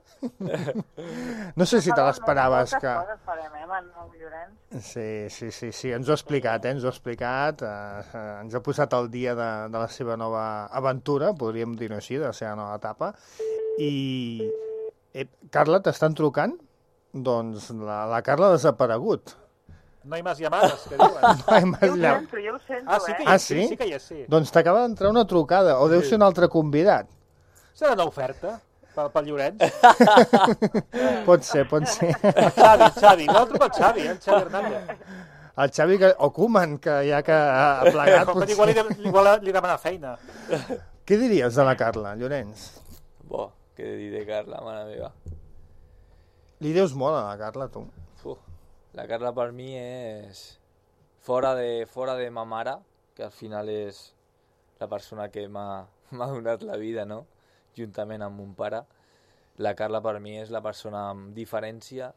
No sé si te l'esperaves que... Moltes coses farem, amb el Llorenç. Sí, ens ho ha explicat, ens ho ha explicat. Ens ha posat al dia de la seva nova aventura, podríem dir-ho així, de la seva nova etapa. I, Carla, t'estan trucant? Doncs la Carla ha desaparegut. No hay más llamadas, que diuen. Jo ho sento, Sí? Sí que hi és, sí. Doncs t'acaba d'entrar una trucada, o deu ser un altre convidat. Serà una oferta pel Llorenç? Pot ser. El Xavi, no truca el Xavi Hernández. El Xavi o Koeman, que ja que ha plegat... Igual li demana feina. Què diries de la Carla, Llorenç? Què dir de Carla, mare meva. Li deus molt a la Carla, tu. La Carla per mi és fora de ma mare, que al final és la persona que m'ha donat la vida, no? Juntament amb mon pare. La Carla per mi és la persona amb diferència,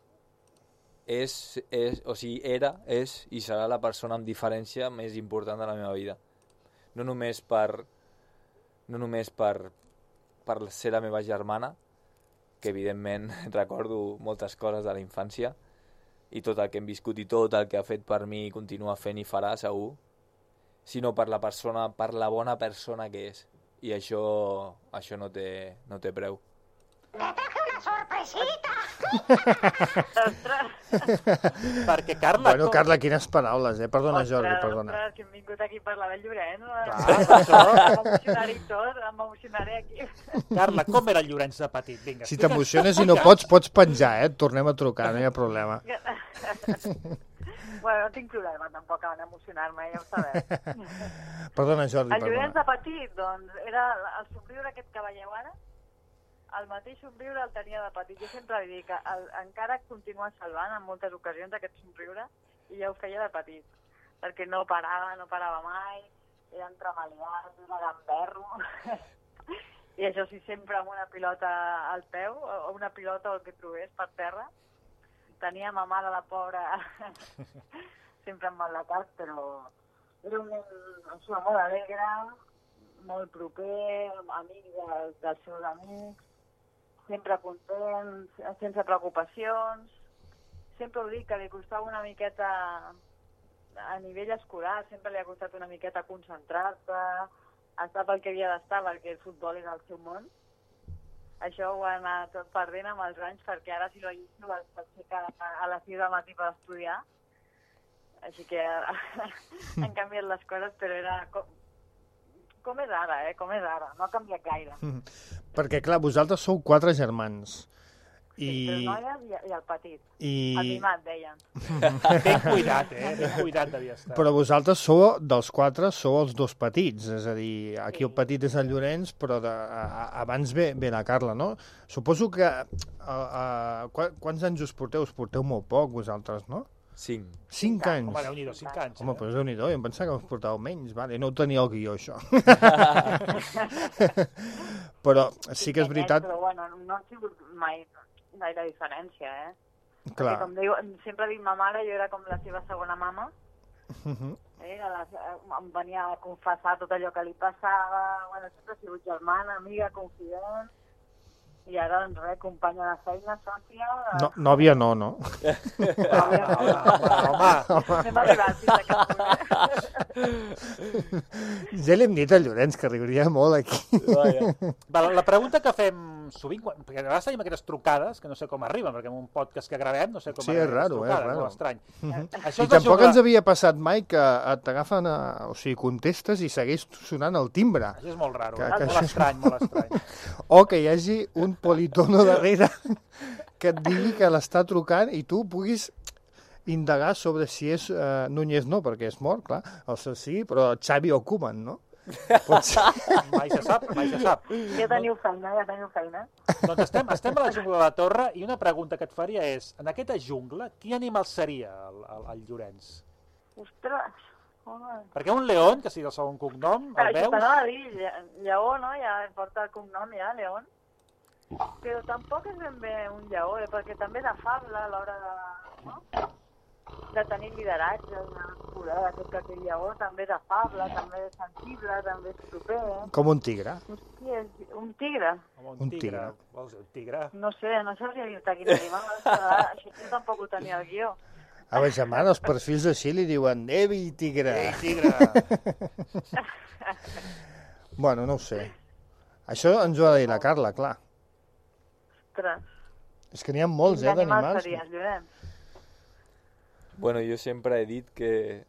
era, és i serà la persona amb diferència més important de la meva vida. No només per ser la meva germana, que evidentment recordo moltes coses de la infància, i tot el que hem viscut i tot el que ha fet per mi i continua fent i farà, segur, sinó per la persona, per la bona persona que és. I això no té preu. sorpresita! Perquè Carla... Bueno, Carla, quines paraules, eh? Perdona, Jordi, perdona. Ostres, que hem vingut aquí a parlar del Llorenç. M'emocionaré aquí. Carla, com era el Llorenç de petit? Vinga, si t'emociones i no pots penjar, eh? Et tornem a trucar, no hi ha problema. Bueno, no tinc problema tampoc en emocionar-me, ja ho sabeu. Perdona, Jordi, El Llorenç perdona. de petit, doncs, era el somriure aquest que veieu ara, el mateix somriure el tenia de petit. Jo sempre li dic que encara continua salvant en moltes ocasions aquest somriure i ja ho feia de petit, perquè no parava mai, era entremaliat, era gamberro. I això sí, sempre amb una pilota al peu, o una pilota o el que trobés per terra. Tenia ma mare, la pobra, sempre amb mal de cap, però era un nen molt alegre, molt proper, amic dels seus amics, sempre content, sense preocupacions. Sempre ho dic, que li costava una miqueta a nivell escolar, sempre li ha costat una miqueta concentrar-se, estar pel que havia d'estar, perquè el futbol és el seu món. Això ho ha anat tot perdent amb els anys, perquè ara si lo llisto s'aixeca a les 6 del matí per estudiar. Així que han canviat les coses, però era com és ara, com és ara. No ha canviat gaire. Perquè, clar, vosaltres sou 4 germans. Sí, 3 noies i el petit. El mimat, deien. Ben cuidat, ben cuidat devia estar. Però vosaltres dels 4 sou els 2 petits, és a dir, aquí el petit és el Llorenç, però abans ve la Carla, no? Suposo que... Quants anys us porteu? Us porteu molt poc, vosaltres, no? 5. 5 anys? Home, Déu-n'hi-do, 5 anys. Home, però Déu-n'hi-do, jo em pensava que us portàveu menys, vale? No ho tenia al guió, això. Però sí que és veritat... Però bueno, no ha sigut mai gaire diferència, Clar. Perquè, com diu, sempre dic ma mare, jo era com la seva segona mama. Em venia a confessar tot allò que li passava, bueno, sempre ha sigut germana, amiga, confident, i ara, doncs res, companya de feina, sòcia... No, nòvia no, no? Home. Anem arribant fins a aquest punt, Ja li hem dit al Llorenç que riuria molt aquí. La pregunta que fem sovint, perquè a vegades tenim aquestes trucades, que no sé com arriben, perquè en un podcast que gravem no sé com sí, és arriben raro, les trucades, raro. molt estrany. I tampoc ens havia passat mai que t'agafen, o sigui, contestes i segueix sonant el timbre. Això és molt raro, molt estrany, molt estrany. O que hi hagi un politono darrere que et digui que l'està trucant i tu puguis indagar sobre si és Núñez no, perquè és mort, clar, el seu sí, però Xavi o Koeman, no? Pot ser. Mai se sap, mai se sap. Ja teniu feina, ja teniu feina. Doncs estem a la jungla de la Torre i una pregunta que et faria és, en aquesta jungla, quin animal seria el Llorenç? Ostres, home. Perquè un león, que sigui el segon cognom, el veus? Això t'anava a dir, lleó, no? Ja porta el cognom, ja, león. Però tampoc és ben bé un lleó, perquè també de fable a l'hora de... No? De tenir lideratge, de curar aquest lleó, també de fable, també de sensible, també és proper. Com un tigre. Hòstia, un tigre? Un tigre. Vols dir un tigre? No sé, no sabria dir-te quin animal. Això jo tampoc ho tenia al guió. A la germana, els perfils així li diuen Evi tigre. Ei, tigre. Bueno, no ho sé. Això ens ho ha de dir la Carla, clar. Ostres. És que n'hi ha molts, d'animals. Quin animal series, Llorenç? Bueno, jo sempre he dit que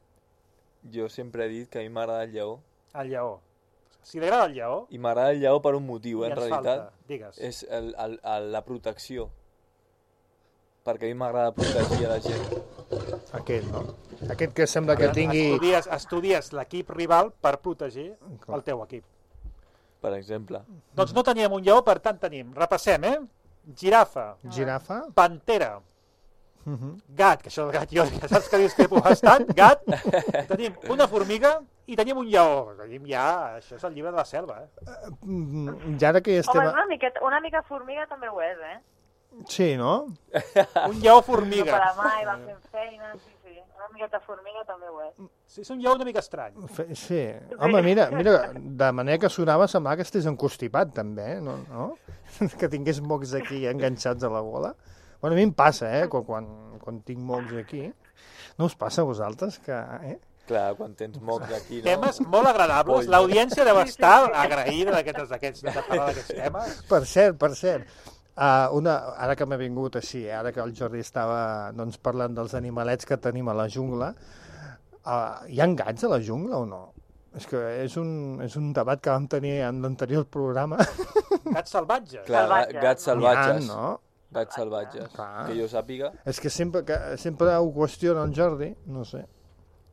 a mi m'agrada el lleó. El lleó. Si li agrada el lleó... I m'agrada el lleó per un motiu, en realitat. Digues. És la protecció. Perquè a mi m'agrada protegir a la gent. Aquest, no? Aquest que sembla que tingui... Estudies l'equip rival per protegir el teu equip. Per exemple. Doncs no teníem un lleó, per tant tenim... Repassem, Girafa. Girafa. Pantera. Gat, que això del gat jo, saps que discrepo bastant, gat, tenim una formiga i tenim un lleó, tenim ja, això és el llibre de la selva, Ja ara que ja estem... Home, una mica formiga també ho és, Sí, no? Un lleó formiga. No para mai, va fent feina, sí, una miqueta formiga també ho és. Sí, és un lleó una mica estrany. Sí, home, mira, de manera que sonava semblava que estigués encostipat també, no? Que tingués mocs aquí enganxats a la gola. Bueno, a mi em passa, quan tinc mocs aquí. No us passa a vosaltres que... Clar, quan tens mocs aquí, no? Temes molt agradables. L'audiència deu estar agraïda de parlar d'aquests temes. Per cert. Ara que m'ha vingut així, ara que el Jordi estava parlant dels animalets que tenim a la jungla, hi ha gats a la jungla o no? És que és un debat que vam tenir en l'anterior programa. Gats salvatges. Clar, gats salvatges. No? Gats salvatges, que jo sàpiga. És que sempre ho qüestiona el Jordi, no sé.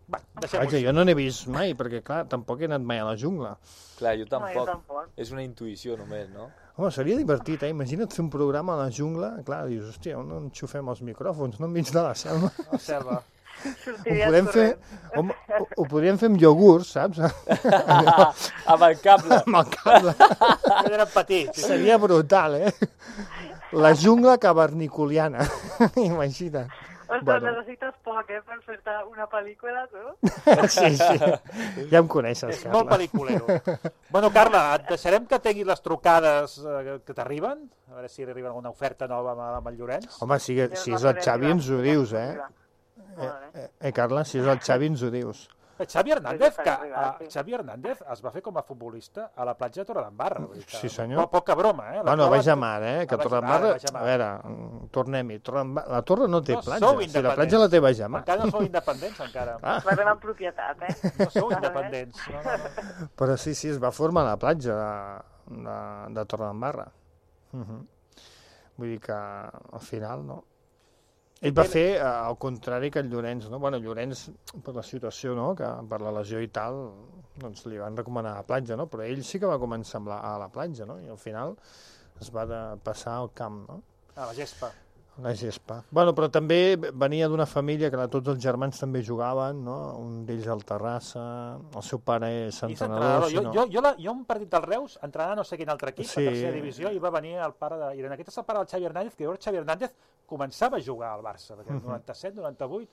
Vaja, jo no n'he vist mai, perquè clar, tampoc he anat mai a la jungla. Clar, jo tampoc. És una intuïció només, no? Home, seria divertit, Imagina't fer un programa a la jungla, clar, dius, hòstia, on enxufem els micròfons, no enmig de la selva. La selva. Ho podríem fer amb iogurts, saps? Amb el cable. Amb el cable. Eren petits. Seria brutal, La jungla cavernicoliana, imagina. Ostres, necessites poc, per fer-te una pel·lícula, tu? Sí. Ja em coneixes, és Carla. molt pel·liculero. Bueno, Carla, et deixarem que tinguis les trucades que t'arriben, a veure si arriba alguna oferta nova amb el Llorenç. Home, si és el Xavi ens ho dius, Carla, si és el Xavi ens ho dius. Xavi Hernández es va fer com a futbolista a la platja de Torredembarra. Sí, senyor. Poca broma, Bueno, vaig a mar, que Torredembarra... A veure, tornem-hi. La Torre no té platja. Si la platja la té baix a mar. Encara no sou independents, encara. La tenen propietat, No sou independents. Però sí, es va formar la platja de Torredembarra. Vull dir que al final, no? Ell va fer al contrari que el Llorenç, no? Bueno, Llorenç, per la situació, no?, que per la lesió i tal, doncs li van recomanar la platja, no? Però ell sí que va començar a la platja, no? I al final es va passar al camp, no? A la gespa. La gespa. Bueno, però també venia d'una família que tots els germans també jugaven, no? Un d'ells al Terrassa, el seu pare és entrenador. Jo un partit del Reus, entrenant no sé quin altre equip, a tercera divisió, i va venir el pare de... I en aquest és el pare del Xavi Hernández, que llavors Xavi Hernández començava a jugar al Barça, perquè el 97, 98,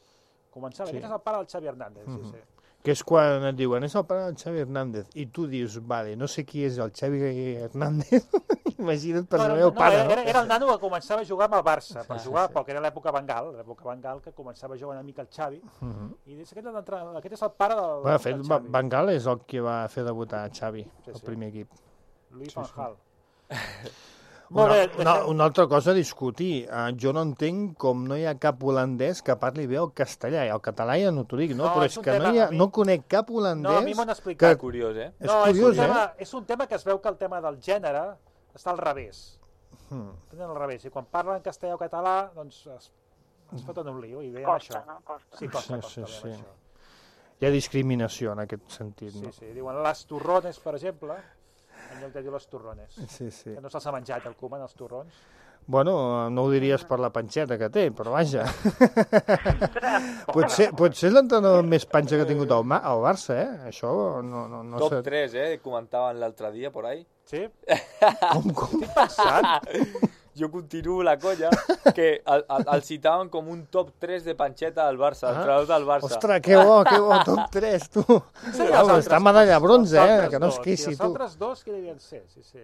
començava. Aquest és el pare del Xavi Hernández, sí. Que és quan et diuen, és el pare del Xavi Hernández, i tu dius, vale, no sé qui és el Xavi Hernández, imagina't per el meu pare, no? Era el nano que començava a jugar amb el Barça, per jugar poc, era l'època Bengal, que començava a jugar una mica el Xavi, i aquest és el pare del Xavi. Bengal és el que va fer debutar Xavi, el primer equip. Luis Van Gaal. Una altra cosa a discutir. Jo no entenc com no hi ha cap holandès que parli bé el castellà. I el català ja no t'ho dic, no? Però és que no conec cap holandès... No, a mi m'ho han explicat. És curiós, És curiós, És un tema que es veu que el tema del gènere està al revés. Al revés. I quan parlen castellà o català, doncs es foten un lío i veiem Costa, això. no? Costa. Sí, costa, Sí. veiem això. Hi ha discriminació en aquest sentit, no? Sí, diuen les torrones, per exemple, en lloc de dir les torrones. Sí. Que no se'ls ha menjat el Koeman, els torrons. Bueno, no ho diries per la panxeta que té, però vaja. Potser és l'entrenador més panxa que ha tingut al Barça, eh? Això no Top sé. 3, comentaven l'altre dia por ahí. Sí? Com? Estic pensant. Jo continuo la colla que el citaven com un top 3 de panxeta del Barça, entrenador del Barça. Ostres, que bo, top 3, tu. Està medalla bronze, que no es queixi, tu. Els altres dos, qui devien ser? Sí.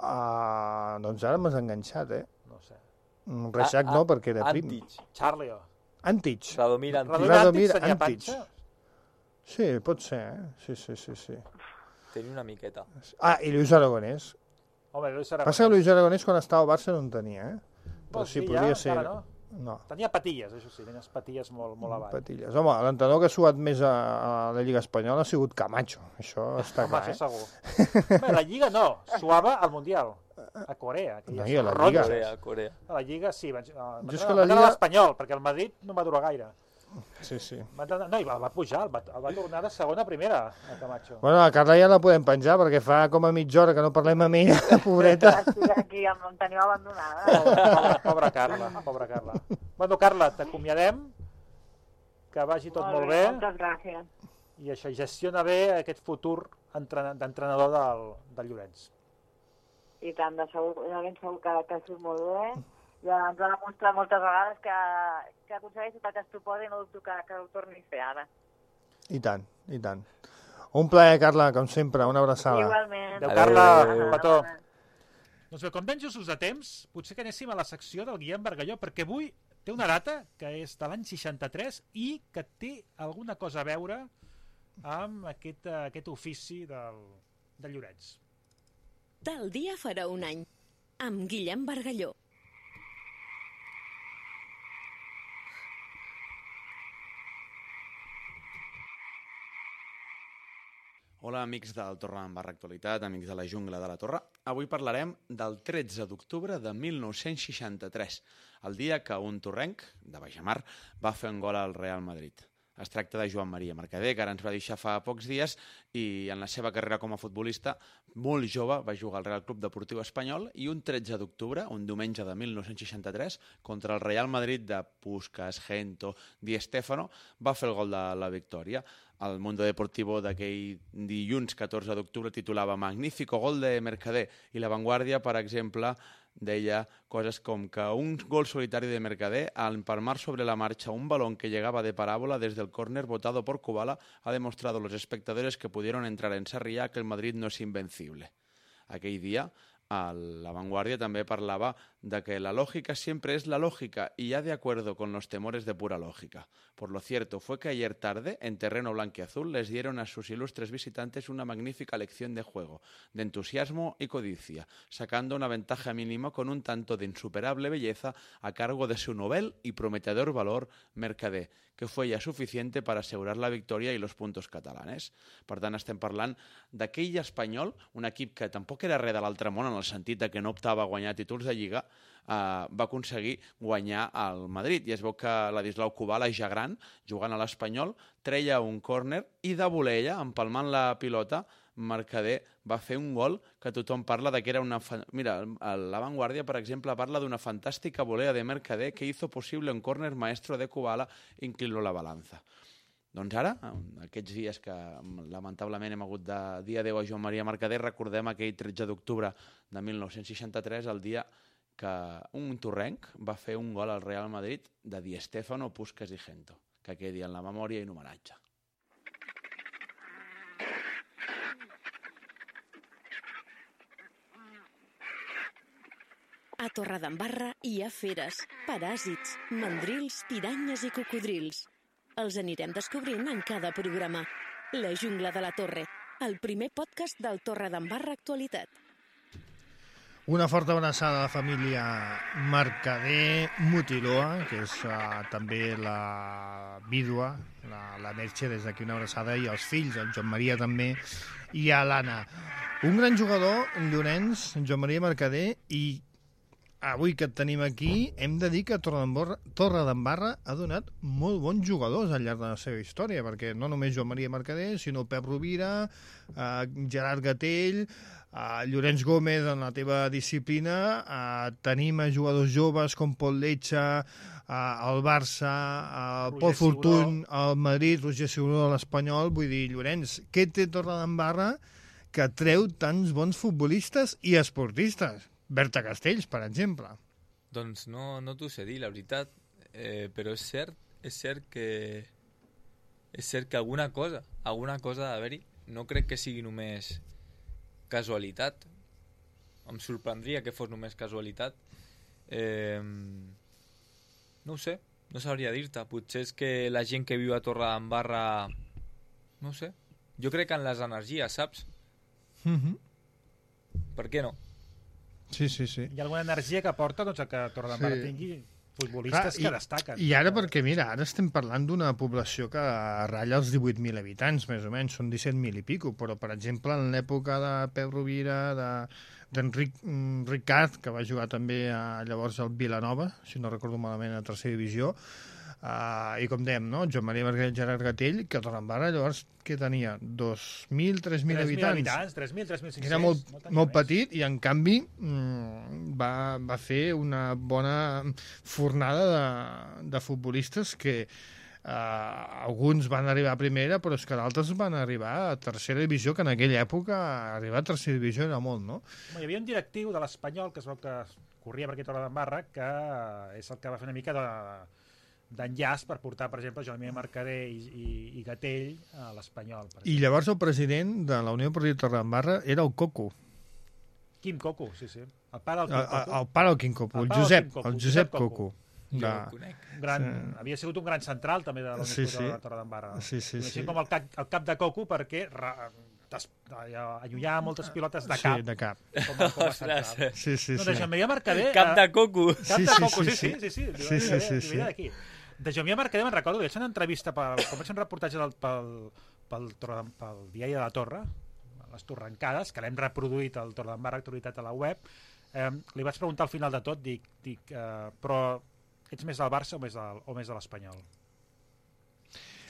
Doncs ara m'has enganxat, eh? No sé. Reixac no, perquè era prim. Antich. Charlie. Antich. Radomir Antich. Radomir Antich tenia panxa? Sí, pot ser, eh? Sí. Tenia una miqueta. I Lluís Aragonès. Home, Lluís Aragonès. Passa que Lluís Aragonès quan estava al Barça no en tenia, eh? Però sí, podria ser... No. Tenia patilles, això sí, tenia patilles molt avall. Patilles. Home, l'entrenador que ha suat més a la Lliga Espanyola ha sigut Camacho, això està clar, això segur. Bé, la Lliga no, suava al Mundial, a Corea. No, a la Lliga. Corea. A la Lliga sí, va anar a l'Espanyol, perquè el Madrid no va durar gaire. Sí. No, i va pujar, va tornar de segona a primera, a Camacho. Bueno, la Carla ja la podem penjar, perquè fa com a mitja hora que no parlem amb ella, pobreta. Aquí em teniu abandonada. Pobra Carla. Bueno, Carla, t'acomiadem, que vagi tot molt bé. Moltes gràcies. I això, gestiona bé aquest futur d'entrenador del Llorenç. I tant, de segur que surt molt bé. Ja ens ha demostrat moltes vegades que aconsegueix tot el que es proposa i no dubto que ho torni a fer ara. I tant. Un plaer, Carla, com sempre, una abraçada. Igualment. Adéu, Carla, un petó. Doncs bé, com ben justos de temps, potser que anéssim a la secció del Guillem Bargalló, perquè avui té una data que és de l'any 63 i que té alguna cosa a veure amb aquest ofici del Llorenç. Tal dia farà un any, amb Guillem Bargalló. Hola, amics del Torre d'Embarra Actualitat, amics de la Jungla de la Torre. Avui parlarem del 13 d'octubre de 1963, el dia que un torrenc, de Baixamar, va fer un gol al Real Madrid. Es tracta de Joan Maria Mercader, que ara ens va deixar fa pocs dies i en la seva carrera com a futbolista, molt jove, va jugar al Real Club Deportiu Espanyol i un 13 d'octubre, un diumenge de 1963, contra el Real Madrid de Puskás, Gento, Di Stéfano, va fer el gol de la victòria. El Mundo Deportivo d'aquell dilluns 14 d'octubre titulava Magnífico gol de Mercader i La Vanguardia, per exemple, deia cosas com que un gol solitario de Mercader al empalmar sobre la marcha un balón que llegaba de parábola desde el córner botado por Kubala ha demostrado a los espectadores que pudieron entrar en Sarriá que el Madrid no es invencible. Aquell dia La Vanguardia també parlava de que la lógica siempre es la lógica y ya de acuerdo con los temores de pura lógica. Por lo cierto fue que ayer tarde, en terreno blanquiazul, les dieron a sus ilustres visitantes una magnífica lección de juego, de entusiasmo y codicia, sacando una ventaja mínima con un tanto de insuperable belleza a cargo de su novel y prometedor valor Mercader, que fue ya suficiente para asegurar la victòria i los puntos catalanes. Per tant, estem parlant d'aquell Espanyol, un equip que tampoc era res de l'altre món en el sentit que no optava a guanyar títols de Lliga, va aconseguir guanyar al Madrid. I es veu que Ladislau Kubala, ja gran, jugant a l'Espanyol, treia un córner i de volella, empalmant la pilota, Mercader va fer un gol que tothom parla de que era una... Mira, La Vanguardia, per exemple, parla d'una fantàstica volea de Mercader que hizo posible un córner maestro de Kubala inclinó la balanza. Doncs ara, aquests dies que lamentablement hem hagut de dir adéu a Joan Maria Mercader, recordem aquell 13 d'octubre de 1963, el dia que un torrenc va fer un gol al Real Madrid de Di Stéfano, Puskás i Gento, que quedi en la memòria i en homenatge. A Torredembarra hi ha feres, paràsits, mandrils, piranyes i cocodrils. Els anirem descobrint en cada programa. La Jungla de la Torre, el primer podcast del Torredembarra Actualitat. Una forta abraçada a la família Mercader Mutiloa, que és també la vídua, la Merche, des d'aquí una abraçada, i els fills, el Joan Maria també, i a l'Anna. Un gran jugador, Llorenç, Joan Maria Mercader, i avui que et tenim aquí, hem de dir que Torredembarra ha donat molt bons jugadors al llarg de la seva història, perquè no només Joan Maria Mercader, sinó Pep Rovira, Gerard Gatell, Llorenç Gómez en la teva disciplina, tenim jugadors joves com Pol Letxa, el Barça, el Pol Fortuny, el Madrid, Roger Seguró, l'Espanyol. Vull dir, Llorenç, què té Torredembarra que treu tants bons futbolistes i esportistes? Berta Castells, per exemple. Doncs no t'ho sé dir, la veritat, però és cert que alguna cosa ha d'haver-hi. No crec que sigui només casualitat. Em sorprendria que fos només casualitat. No ho sé, no sabria dir-te. Potser és que la gent que viu a Torredembarra, no ho sé, jo crec en les energies, saps? Per què no? Sí. Hi ha alguna energia que porta doncs, a que Torredembarra tingui futbolistes que destaquen. I ara perquè, mira, ara estem parlant d'una població que ratlla els 18.000 habitants, més o menys, són 17.000 i pico, però, per exemple, en l'època de Pep Rovira, d'Enric Ricard, que va jugar també llavors al Vilanova, si no recordo malament, a tercera divisió, i com dèiem, no? Joan Maria Mercader, Gerard Gatell, que Torredembarra llavors què tenia? 2.000, 3.000 habitants. 3.500. Era molt petit i en canvi va fer una bona fornada de futbolistes que alguns van arribar a primera, però és que d'altres van arribar a tercera divisió, que en aquella època arribar a tercera divisió era molt, no? Hi havia un directiu de l'Espanyol, que es veu que corria per aquí a Torredembarra, que és el que va fer una mica d'enllaç per portar, per exemple, Joan Maria Mercader i Gatell a l'Espanyol. I llavors el president de la Unió Esportiva Torredembarra era el Coco. Quim Coco, sí. El pare del Quim Coco. El pare del Quim Coco, el Josep Coco. Havia sigut un gran central també de la Unió Esportiva de Torredembarra. Sí. Com el cap de Coco, perquè allunyava moltes pilotes de cap. Sí, de cap. Com a central. Sí. De Joan Maria Mercader... Cap de Coco. Cap de Coco, sí. Sí. De Joan Maria Mercader me'n recordo, vaig fer una entrevista, quan vaig fer un reportatge pel diari de la Torre, les Torrencades, que l'hem reproduït al Torredembarra Actualitat a la web, li vaig preguntar al final de tot, però ets més del Barça o més de l'Espanyol?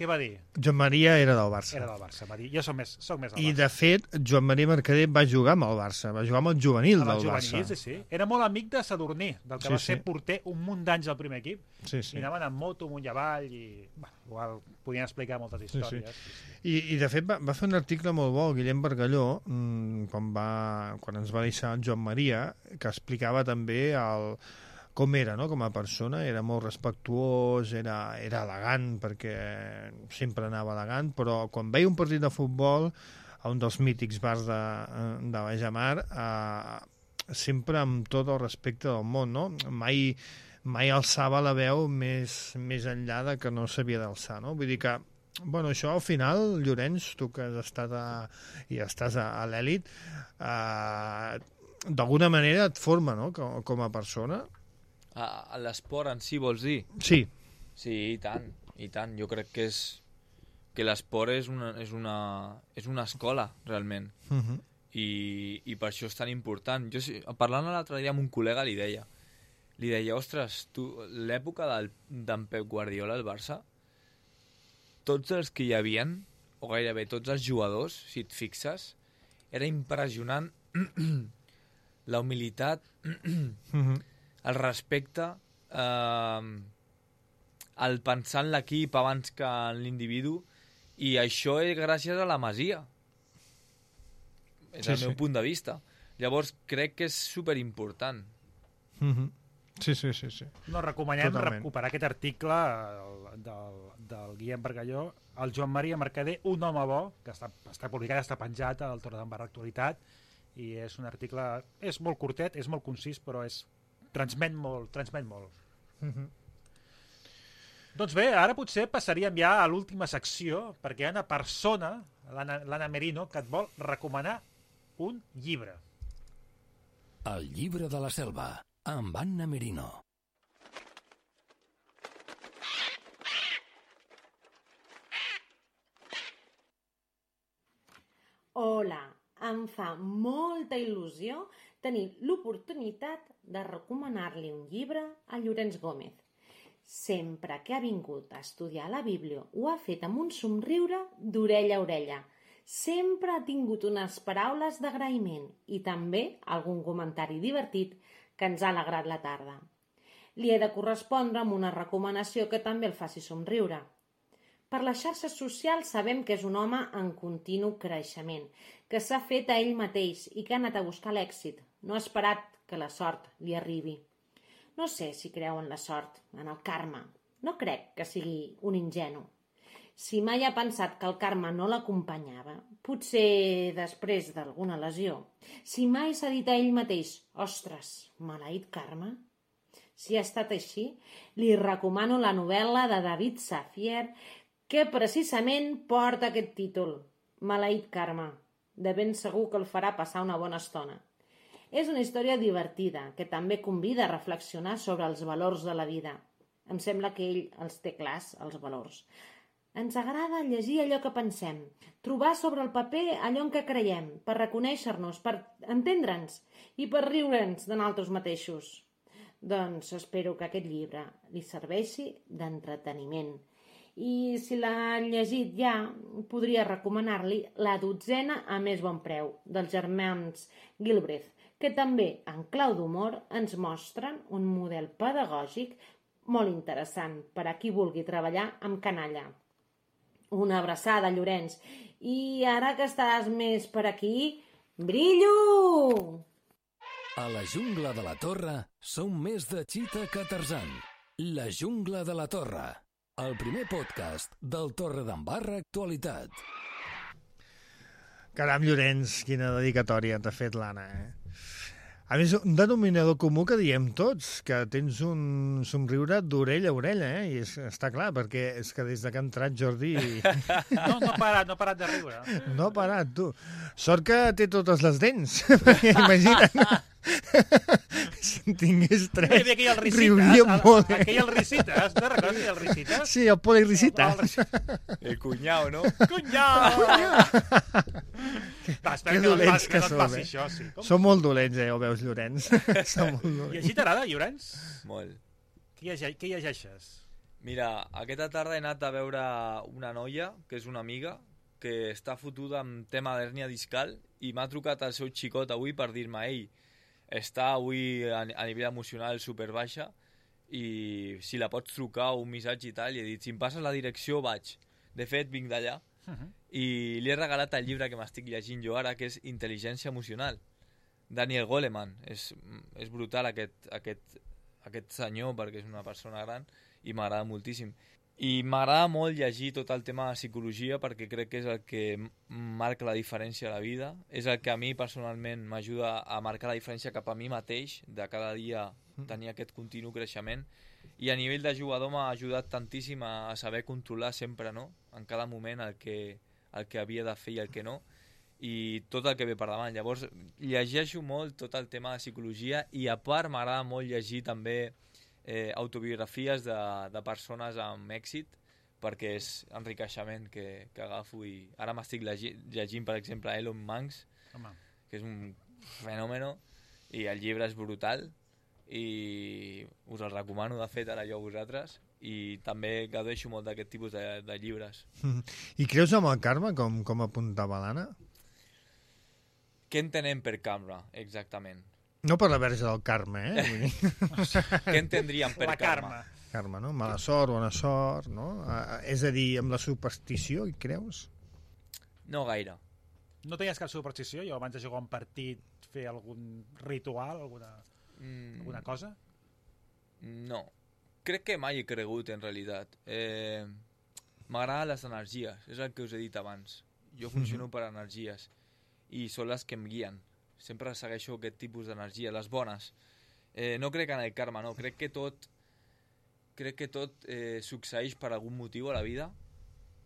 Què va dir? Joan Maria era del Barça. Era del Barça, va dir. Jo soc més del Barça. I, de fet, Joan Maria Mercader va jugar amb el Barça, va jugar amb el juvenil del Barça. Sí. Era molt amic de Sadurní, del que va ser porter un munt d'anys al primer equip. Sí. I anaven amb moto amunt i avall i igual podien explicar moltes històries. Sí. I de fet, va fer un article molt bo, Guillem Bargalló, quan ens va deixar el Joan Maria, que explicava també com era, no?, com a persona. Era molt respectuós, era elegant, perquè sempre anava elegant, però quan veia un partit de futbol a un dels mítics bars de Bajamar, sempre amb tot el respecte del món, no? Mai alçava la veu més enllà de que no s'havia d'alçar, no? Vull dir que, bueno, això al final, Llorenç, tu que has estat i estàs a l'elit, d'alguna manera et forma, no?, com a persona. A l'esport en si, vols dir? Sí. Sí, i tant. Jo crec que l'esport és una escola, realment. I per això és tan important. Jo, parlant l'altre dia amb un col·lega, li deia, ostres, tu, l'època d'en Pep Guardiola al Barça, tots els que hi havien, o gairebé tots els jugadors, si et fixes, era impressionant la humilitat, el respecte, el pensar en l'equip abans que en l'individu, i això és gràcies a la Masia. És el meu punt de vista. Llavors crec que és superimportant. Sí. No, recomanem recuperar aquest article del Guillem Bargalló, el Joan Maria Mercader, un home bo, que està publicat, està penjat al Torredembarra Actualitat, i és un article, és molt curtet, és molt concís, però transmet molt. Doncs bé, ara potser passaríem ja a l'última secció, perquè hi ha una persona, l'Anna Merino, que et vol recomanar un llibre. El llibre de la selva, amb Anna Merino. Hola, em fa molta il·lusió tenir l'oportunitat de recomanar-li un llibre a Llorenç Gómez. Sempre que ha vingut a estudiar la Bíblia ho ha fet amb un somriure d'orella a orella. Sempre ha tingut unes paraules d'agraïment i també algun comentari divertit que ens ha alegrat la tarda. Li he de correspondre amb una recomanació que també el faci somriure. Per les xarxes socials sabem que és un home en continu creixement, que s'ha fet a ell mateix i que ha anat a buscar l'èxit. No ha esperat que la sort li arribi. No sé si creu en la sort, en el karma. No crec que sigui un ingenu. Si mai ha pensat que el karma no l'acompanyava, potser després d'alguna lesió, si mai s'ha dit a ell mateix, ostres, maleït karma? Si ha estat així, li recomano la novel·la de David Safier que precisament porta aquest títol, Maleït karma. De ben segur que el farà passar una bona estona. És una història divertida que també convida a reflexionar sobre els valors de la vida. Em sembla que ell els té clars, els valors. Ens agrada llegir allò que pensem, trobar sobre el paper allò en què creiem, per reconèixer-nos, per entendre'ns i per riure'ns de nosaltres mateixos. Doncs espero que aquest llibre li serveixi d'entreteniment. I si l'ha llegit ja, podria recomanar-li La dotzena a més bon preu, dels germans Gilbreth, que també, en clau d'humor, ens mostren un model pedagògic molt interessant per a qui vulgui treballar amb canalla. Una abraçada, Llorenç. I ara que estàs més per aquí, brillo! A la jungla de la Torre som més de Chita que Tarzan. La jungla de la Torre, el primer podcast del Torredembarra Actualitat. Caram, Llorenç, quina dedicatòria t'ha fet l'Anna, A més, un denominador comú que diem tots, que tens un somriure d'orella a orella, I està clar, perquè és que des que ha entrat Jordi... No ha parat de riure. No ha parat, tu. Sort que té totes les dents, perquè imagina't. Si en tingués tres, riuria molt. Aquell Risitas, te'n recordes aquell Risitas? Sí, el Poli Risitas. El cunyau, no? Cunyau! Que dolents que som, això, sí. Som molt dolents, ho veus, Llorenç? Som molt dolents. I així t'agrada, Llorenç? Molt. Què llegeixes? Mira, aquesta tarda he anat a veure una noia, que és una amiga, que està fotuda amb tema d'hèrnia discal i m'ha trucat al seu xicot avui per dir-me «Ei, està avui a nivell emocional superbaixa i si la pots trucar un missatge i tal», i he dit «Si em passes la direcció vaig». De fet, vinc d'allà. I li he regalat el llibre que m'estic llegint jo ara, que és Intel·ligència emocional. Daniel Goleman. És brutal aquest senyor, perquè és una persona gran, i m'agrada moltíssim. I m'agrada molt llegir tot el tema de psicologia, perquè crec que és el que marca la diferència a la vida. És el que a mi, personalment, m'ajuda a marcar la diferència cap a mi mateix, de cada dia tenir aquest continu creixement. I a nivell de jugador m'ha ajudat tantíssim a saber controlar sempre, no?, en cada moment el que havia de fer i el que no, i tot el que ve per davant. Llavors, llegeixo molt tot el tema de psicologia i, a part, m'agrada molt llegir també autobiografies de persones amb èxit, perquè és enriqueixement que agafo. I ara m'estic llegint, per exemple, Elon Musk, que és un fenòmeno, i el llibre és brutal, i us el recomano, de fet, ara jo a vosaltres, i també gaudeixo molt d'aquest tipus de llibres. I creus en el karma, com apuntava l'Anna? Què entenem per karma, exactament? No per la verge del karma, Què entendríem per karma? Karma, no? Mala sort, bona sort, no? És a dir, amb la superstició, hi creus? No gaire. No tenies cap superstició? Jo abans de jugar un partit, fer algun ritual, alguna cosa? No. Crec que mai he cregut, en realitat. M'agraden les energies, és el que us he dit abans. Jo funciono per energies i són les que em guien. Sempre segueixo aquest tipus d'energia, les bones. No crec en el karma, no. Crec que tot succeeix per algun motiu a la vida,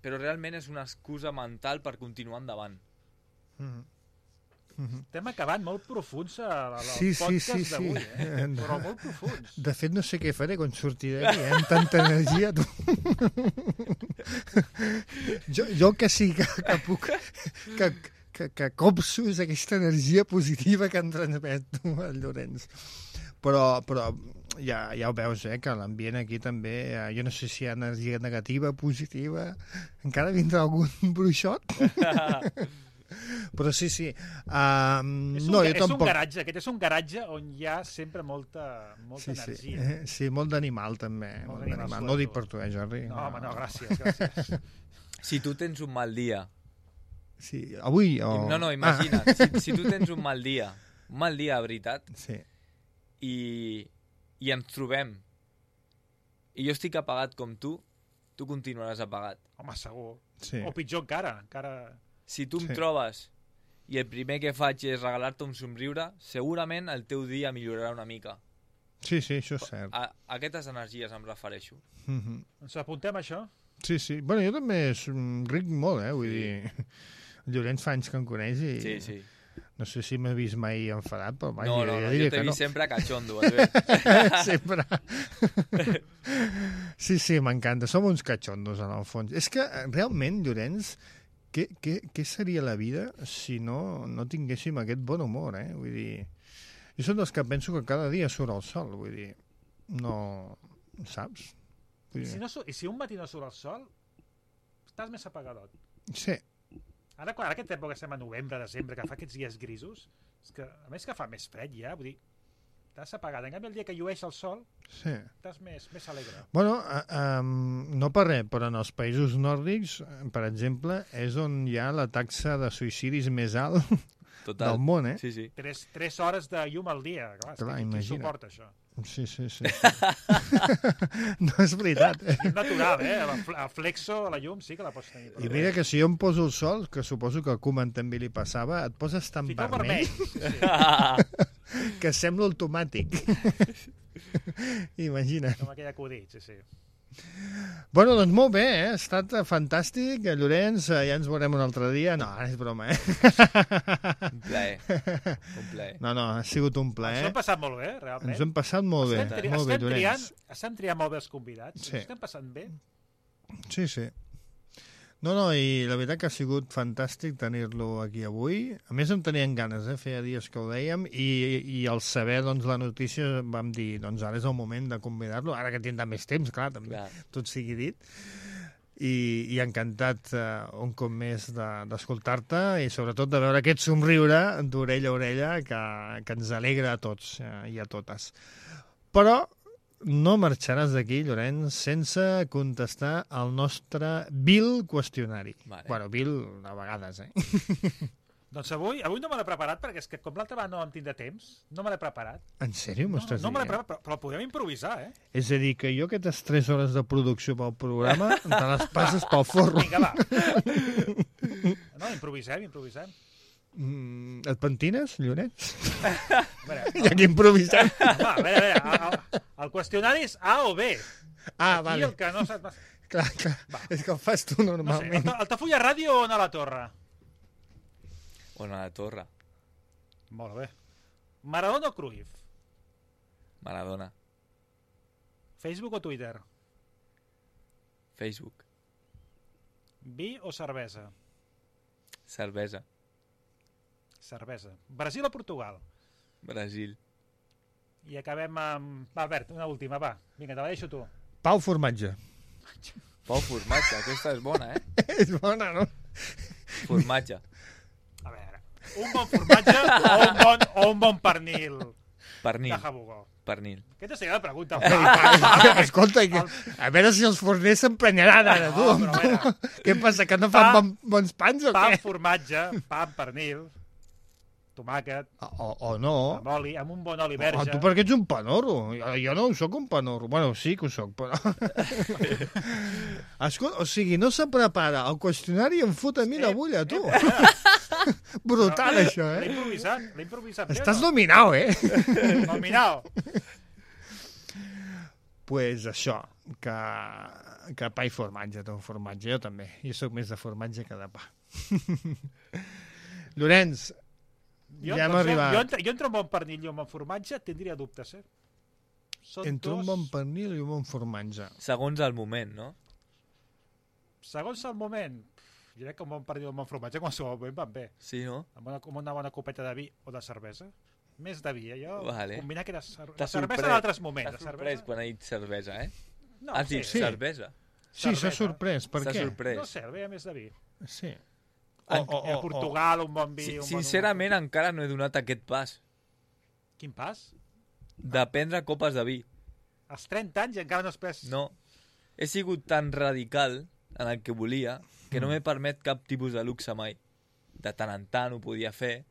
però realment és una excusa mental per continuar endavant. Estem acabant molt profuns al podcast d'avui, però molt profuns. De fet, no sé què faré quan surti d'aquí, amb tanta energia. Jo que sí que puc, que copso és aquesta energia positiva que em transmet tu, el Llorenç. Però ja ho veus, que l'ambient aquí també, jo no sé si hi ha energia negativa, positiva, encara vindrà algun bruixot? Però sí. Aquest és un garatge on hi ha sempre molta energia. Sí, molt d'animal també. Molt d'animal. No ho dic per tu, Jordi? No, home, no, gràcies. Si tu tens un mal dia... Sí, avui o... No, imagina't, si tu tens un mal dia, de veritat, sí. I ens trobem, i jo estic apagat com tu continuaràs apagat. Home, segur. Sí. O pitjor encara. Si tu em trobes i el primer que faig és regalar-te un somriure, segurament el teu dia millorarà una mica. Sí, això és cert. A aquestes energies em refereixo. Ens apuntem això? Sí. Bueno, jo també ric molt, vull dir... El Llorenç fa anys que em coneix i... Sí. No sé si m'ha vist mai enfadat, però mai... No, jo t'he vist sempre cachondo. Sempre. Sí, m'encanta. Som uns cachondos, en el fons. És que, realment, Llorenç, què seria la vida si no tinguéssim aquest bon humor, Vull dir... Jo som dels que penso que cada dia surt el sol, vull dir... No... Saps? I si un matí no surt el sol, estàs més apagadot. Sí. Ara aquesta època estem a novembre, desembre, que fa aquests dies grisos, és que, a més que fa més fred ja, vull dir, estàs apagat. En canvi, el dia que llueix el sol, estàs més alegre. Bueno, no per res, però en els països nòrdics, per exemple, és on hi ha la taxa de suïcidis més alt del món, Sí. 3 hores de llum al dia, clar qui suporta això? Sí. No és veritat. És natural, a flexo, a la llum, sí que la pots tenir. I mira que si jo em poso el sol, que suposo que a Koeman també li passava, et poses tan vermell que sembla automàtic. Imagina't. Com aquell acudit, sí. Bueno, doncs molt bé, ha estat fantàstic. Llorenç, ja ens veurem un altre dia. No, ara és broma, Un plaer. No, ha sigut un plaer. Ens ho hem passat molt bé, realment. Ens ho hem passat molt bé. Estem triant molt bé els convidats. Sí. Estem passant bé. Sí. No, i la veritat que ha sigut fantàstic tenir-lo aquí avui. A més, em tenien ganes, feia dies que ho dèiem, i al saber la notícia vam dir, ara és el moment de convidar-lo, ara que tindrà més temps, clar, també, tot sigui dit. I encantat un cop més d'escoltar-te i sobretot de veure aquest somriure d'orella a orella que ens alegra a tots i a totes. Però no marxaràs d'aquí, Llorenç, sense contestar al nostre vil qüestionari. Bueno, vil a vegades, Doncs avui no me l'he preparat, perquè és que com l'altre va no em tindrà temps, no me l'he preparat. En sèrio m'ho estàs dient? No me l'he preparat, però podem improvisar, És a dir, que jo aquestes 3 hores de producció pel programa te les passes pel forro. Vinga, va. No, improvisem. Et pentines, Llorenç? Ja que improvisem. A veure, el qüestionari és A o B. Vale. El que no saps... Clar, és que el fas tu normalment. No sé, Altafulla Ràdio o a la Torre? O a la Torre. Molt bé. Maradona o Cruyff? Maradona. Facebook o Twitter? Facebook. Vi o cervesa? Cervesa. Brasil o Portugal? Brasil. I acabem amb... Va, Albert, una última, va. Vinga, te la deixo tu. Pau Formatge. Aquesta és bona, És bona, no? Formatge. A veure, un bon formatge o un bon pernil? Pernil. De Jabugó. Pernil. Aquesta seria la pregunta. Escolta, a veure si els forners s'emprenyaran ara, tu. Què passa, que no fan bons pans o què? Pa, formatge, pa, pernil, tomàquet, o no, amb oli, amb un bon oli verge. Tu perquè ets un panorro. Jo no ho soc un panorro. Bueno, sí que ho soc, però... Escolta, o sigui, no se prepara el qüestionari i em fot a mi la bulla, tu. Brutal, això, L'he improvisat. Estàs nominau, Nominau. Pues això, que pa i formatge, jo també. Jo sóc més de formatge que de pa. Llorenç, ja hem arribat. Jo entre un bon pernil i un bon formatge tindria dubtes, Entre un bon pernil i un bon formatge. Segons el moment, no? Segons el moment. jo crec que un bon pernil o un bon formatge qualsevol moment van bé. Sí, no? Amb una bona copeta de vi o de cervesa. Més de vi, jo combinar que la cervesa d'altres moments. T'ha sorprès quan ha dit cervesa, No, has dit cervesa. Sí, s'ha sorprès. Per què? No sé, veia més de vi. Sí. A Portugal, un bon vi... Sincerament, encara no he donat aquest pas. Quin pas? De prendre copes de vi. Als 30 anys i encara no has pres... No. He sigut tan radical en el que volia que no m'he permet cap tipus de luxe mai. De tant en tant ho podia fer.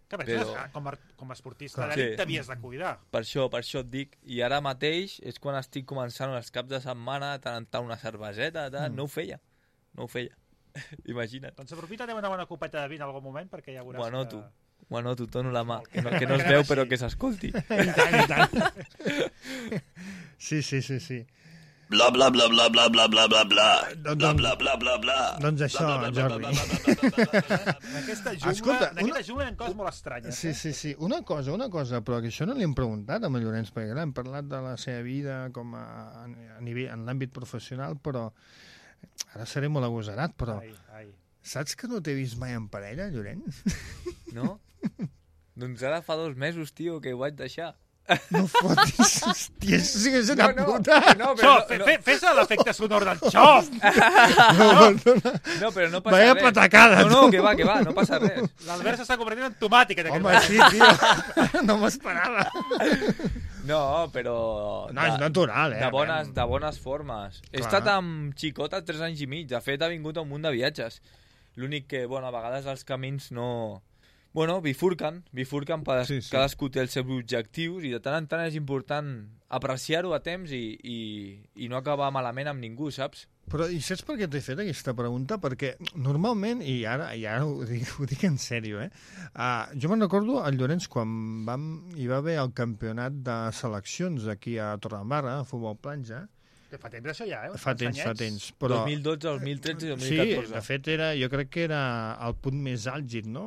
Però... com a esportista d'elit t'havies de cuidar. Per això et dic. I ara mateix és quan estic començant els caps de setmana, tant en tant una cerveseta, no ho feia. Imagina't. Doncs aprofita una bona copeta de vi en algun moment perquè ja veuràs Ho anoto, dono la mà, que no es veu però que s'escolti. I tant. Sí. Bla, bla, bla, bla, bla, bla, bla, bla, bla. Bla, bla, bla, bla, bla. Doncs això, Jordi. En aquesta jungla hi ha coses molt estranyes. Sí. Una cosa, però que això no li hem preguntat a Llorenç, perquè hem parlat de la seva vida com a nivell, en l'àmbit professional, però ara seré molt agosarat, però saps que no t'he vist mai en parella, Llorenç? No? Doncs ara fa 2 mesos, tio, que ho vaig deixar. No fotis, hòstia, això sí que és una puta. Fes l'efecte sonor del xop. No, però no passa res. Vaya patacada, no, que va, no passa res. L'Albert s'està convertint en tomàtica. Home, sí, tio, no m'esperava. No, però... No, és natural, De bones formes. He estat amb xicota 3 anys i mig. De fet, ha vingut a un munt de viatges. L'únic que, a vegades els camins no... bifurquen, cadascú té els seus objectius i de tant en tant és important apreciar-ho a temps i no acabar malament amb ningú, saps? Però i saps per què t'he fet aquesta pregunta? Perquè normalment, i ara ho dic en sèrio, jo me'n recordo el Llorenç quan hi va haver el campionat de seleccions aquí a Torredembarra, a futbol platja. Fa temps això ja, Fa temps. Però... 2012, 2013 i 2014. Sí, de fet, jo crec que era el punt més àlgid, no?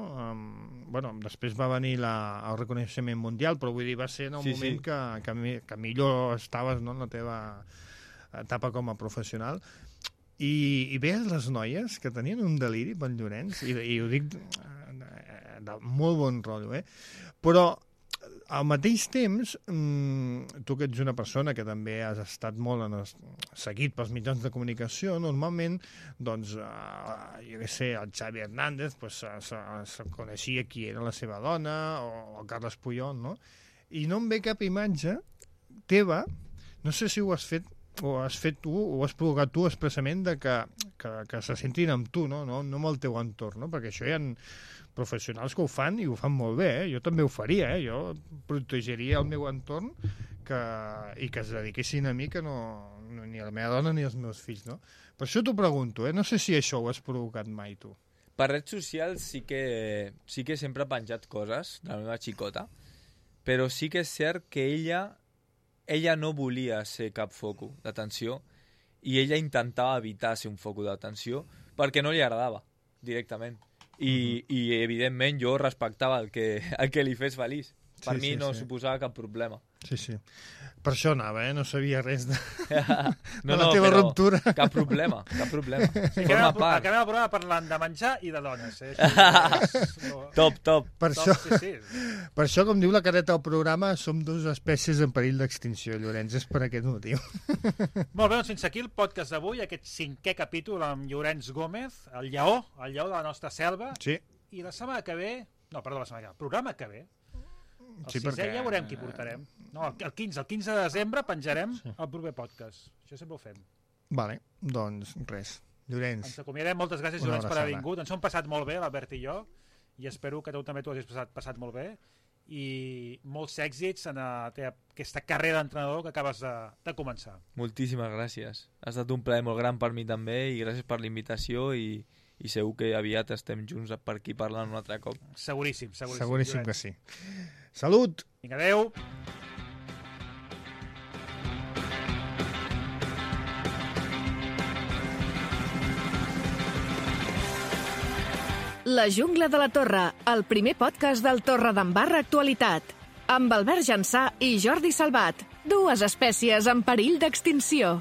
Després va venir el reconeixement mundial, però vull dir, va ser en el moment que millor estaves, no?, en la teva etapa com a professional. I veies les noies que tenien un deliri pel Llorenç, i ho dic de molt bon rotllo, però al mateix temps, tu que ets una persona que també has estat molt seguit pels mitjans de comunicació, normalment, doncs, jo què sé, el Xavi Hernández se coneixia qui era la seva dona, o el Carles Puyol, no? I no em ve cap imatge teva, no sé si ho has fet tu, o has provocat tu expressament de que se sentin amb tu, no amb el teu entorn, no? Perquè això hi ha professionals que ho fan i ho fan molt bé, jo també ho faria, jo protegiria el meu entorn i que es dediquessin a mi, que ni a la meva dona ni als meus fills, no? Per això t'ho pregunto, no sé si això ho has provocat mai tu. Per redes socials sí que sempre he penjat coses de la meva xicota, però sí que és cert que ella no volia ser cap foco d'atenció i ella intentava evitar ser un foco d'atenció perquè no li agradava directament. I evidentment jo respectava el que li fes feliç. Per mi no suposava cap problema. Sí. Per això anava, no sabia res de la teva ruptura. Cap problema. Acabem el programa parlant de menjar i de dones. Top. Per això, com diu la careta del programa, som 2 espècies en perill d'extinció, Llorenç, és per aquest motiu. Molt bé, doncs fins aquí el podcast d'avui, aquest 5è capítol amb Llorenç Gómez, el lleó de la nostra selva. Sí. I la setmana que ve... No, perdó, el programa que ve... El 6è ja veurem qui portarem. No, el 15 de desembre penjarem el proper podcast. Això sempre ho fem. Vale, doncs res. Llorenç. Ens acomiadem. Moltes gràcies, Llorenç, per haver vingut. Ens ho hem passat molt bé, l'Albert i jo, i espero que tu també t'ho hagis passat molt bé. I molts èxits en aquesta carrera d'entrenador que acabes de començar. Moltíssimes gràcies. Ha estat un plaer molt gran per mi també i gràcies per la invitació i segur que aviat estem junts per aquí parlant un altre cop. Seguríssim que sí. Salut! Vinga, adeu! La Jungla de la Torre, el primer podcast del Torredembarra Actualitat. Amb Albert Jansà i Jordi Salvat, 2 espècies en perill d'extinció.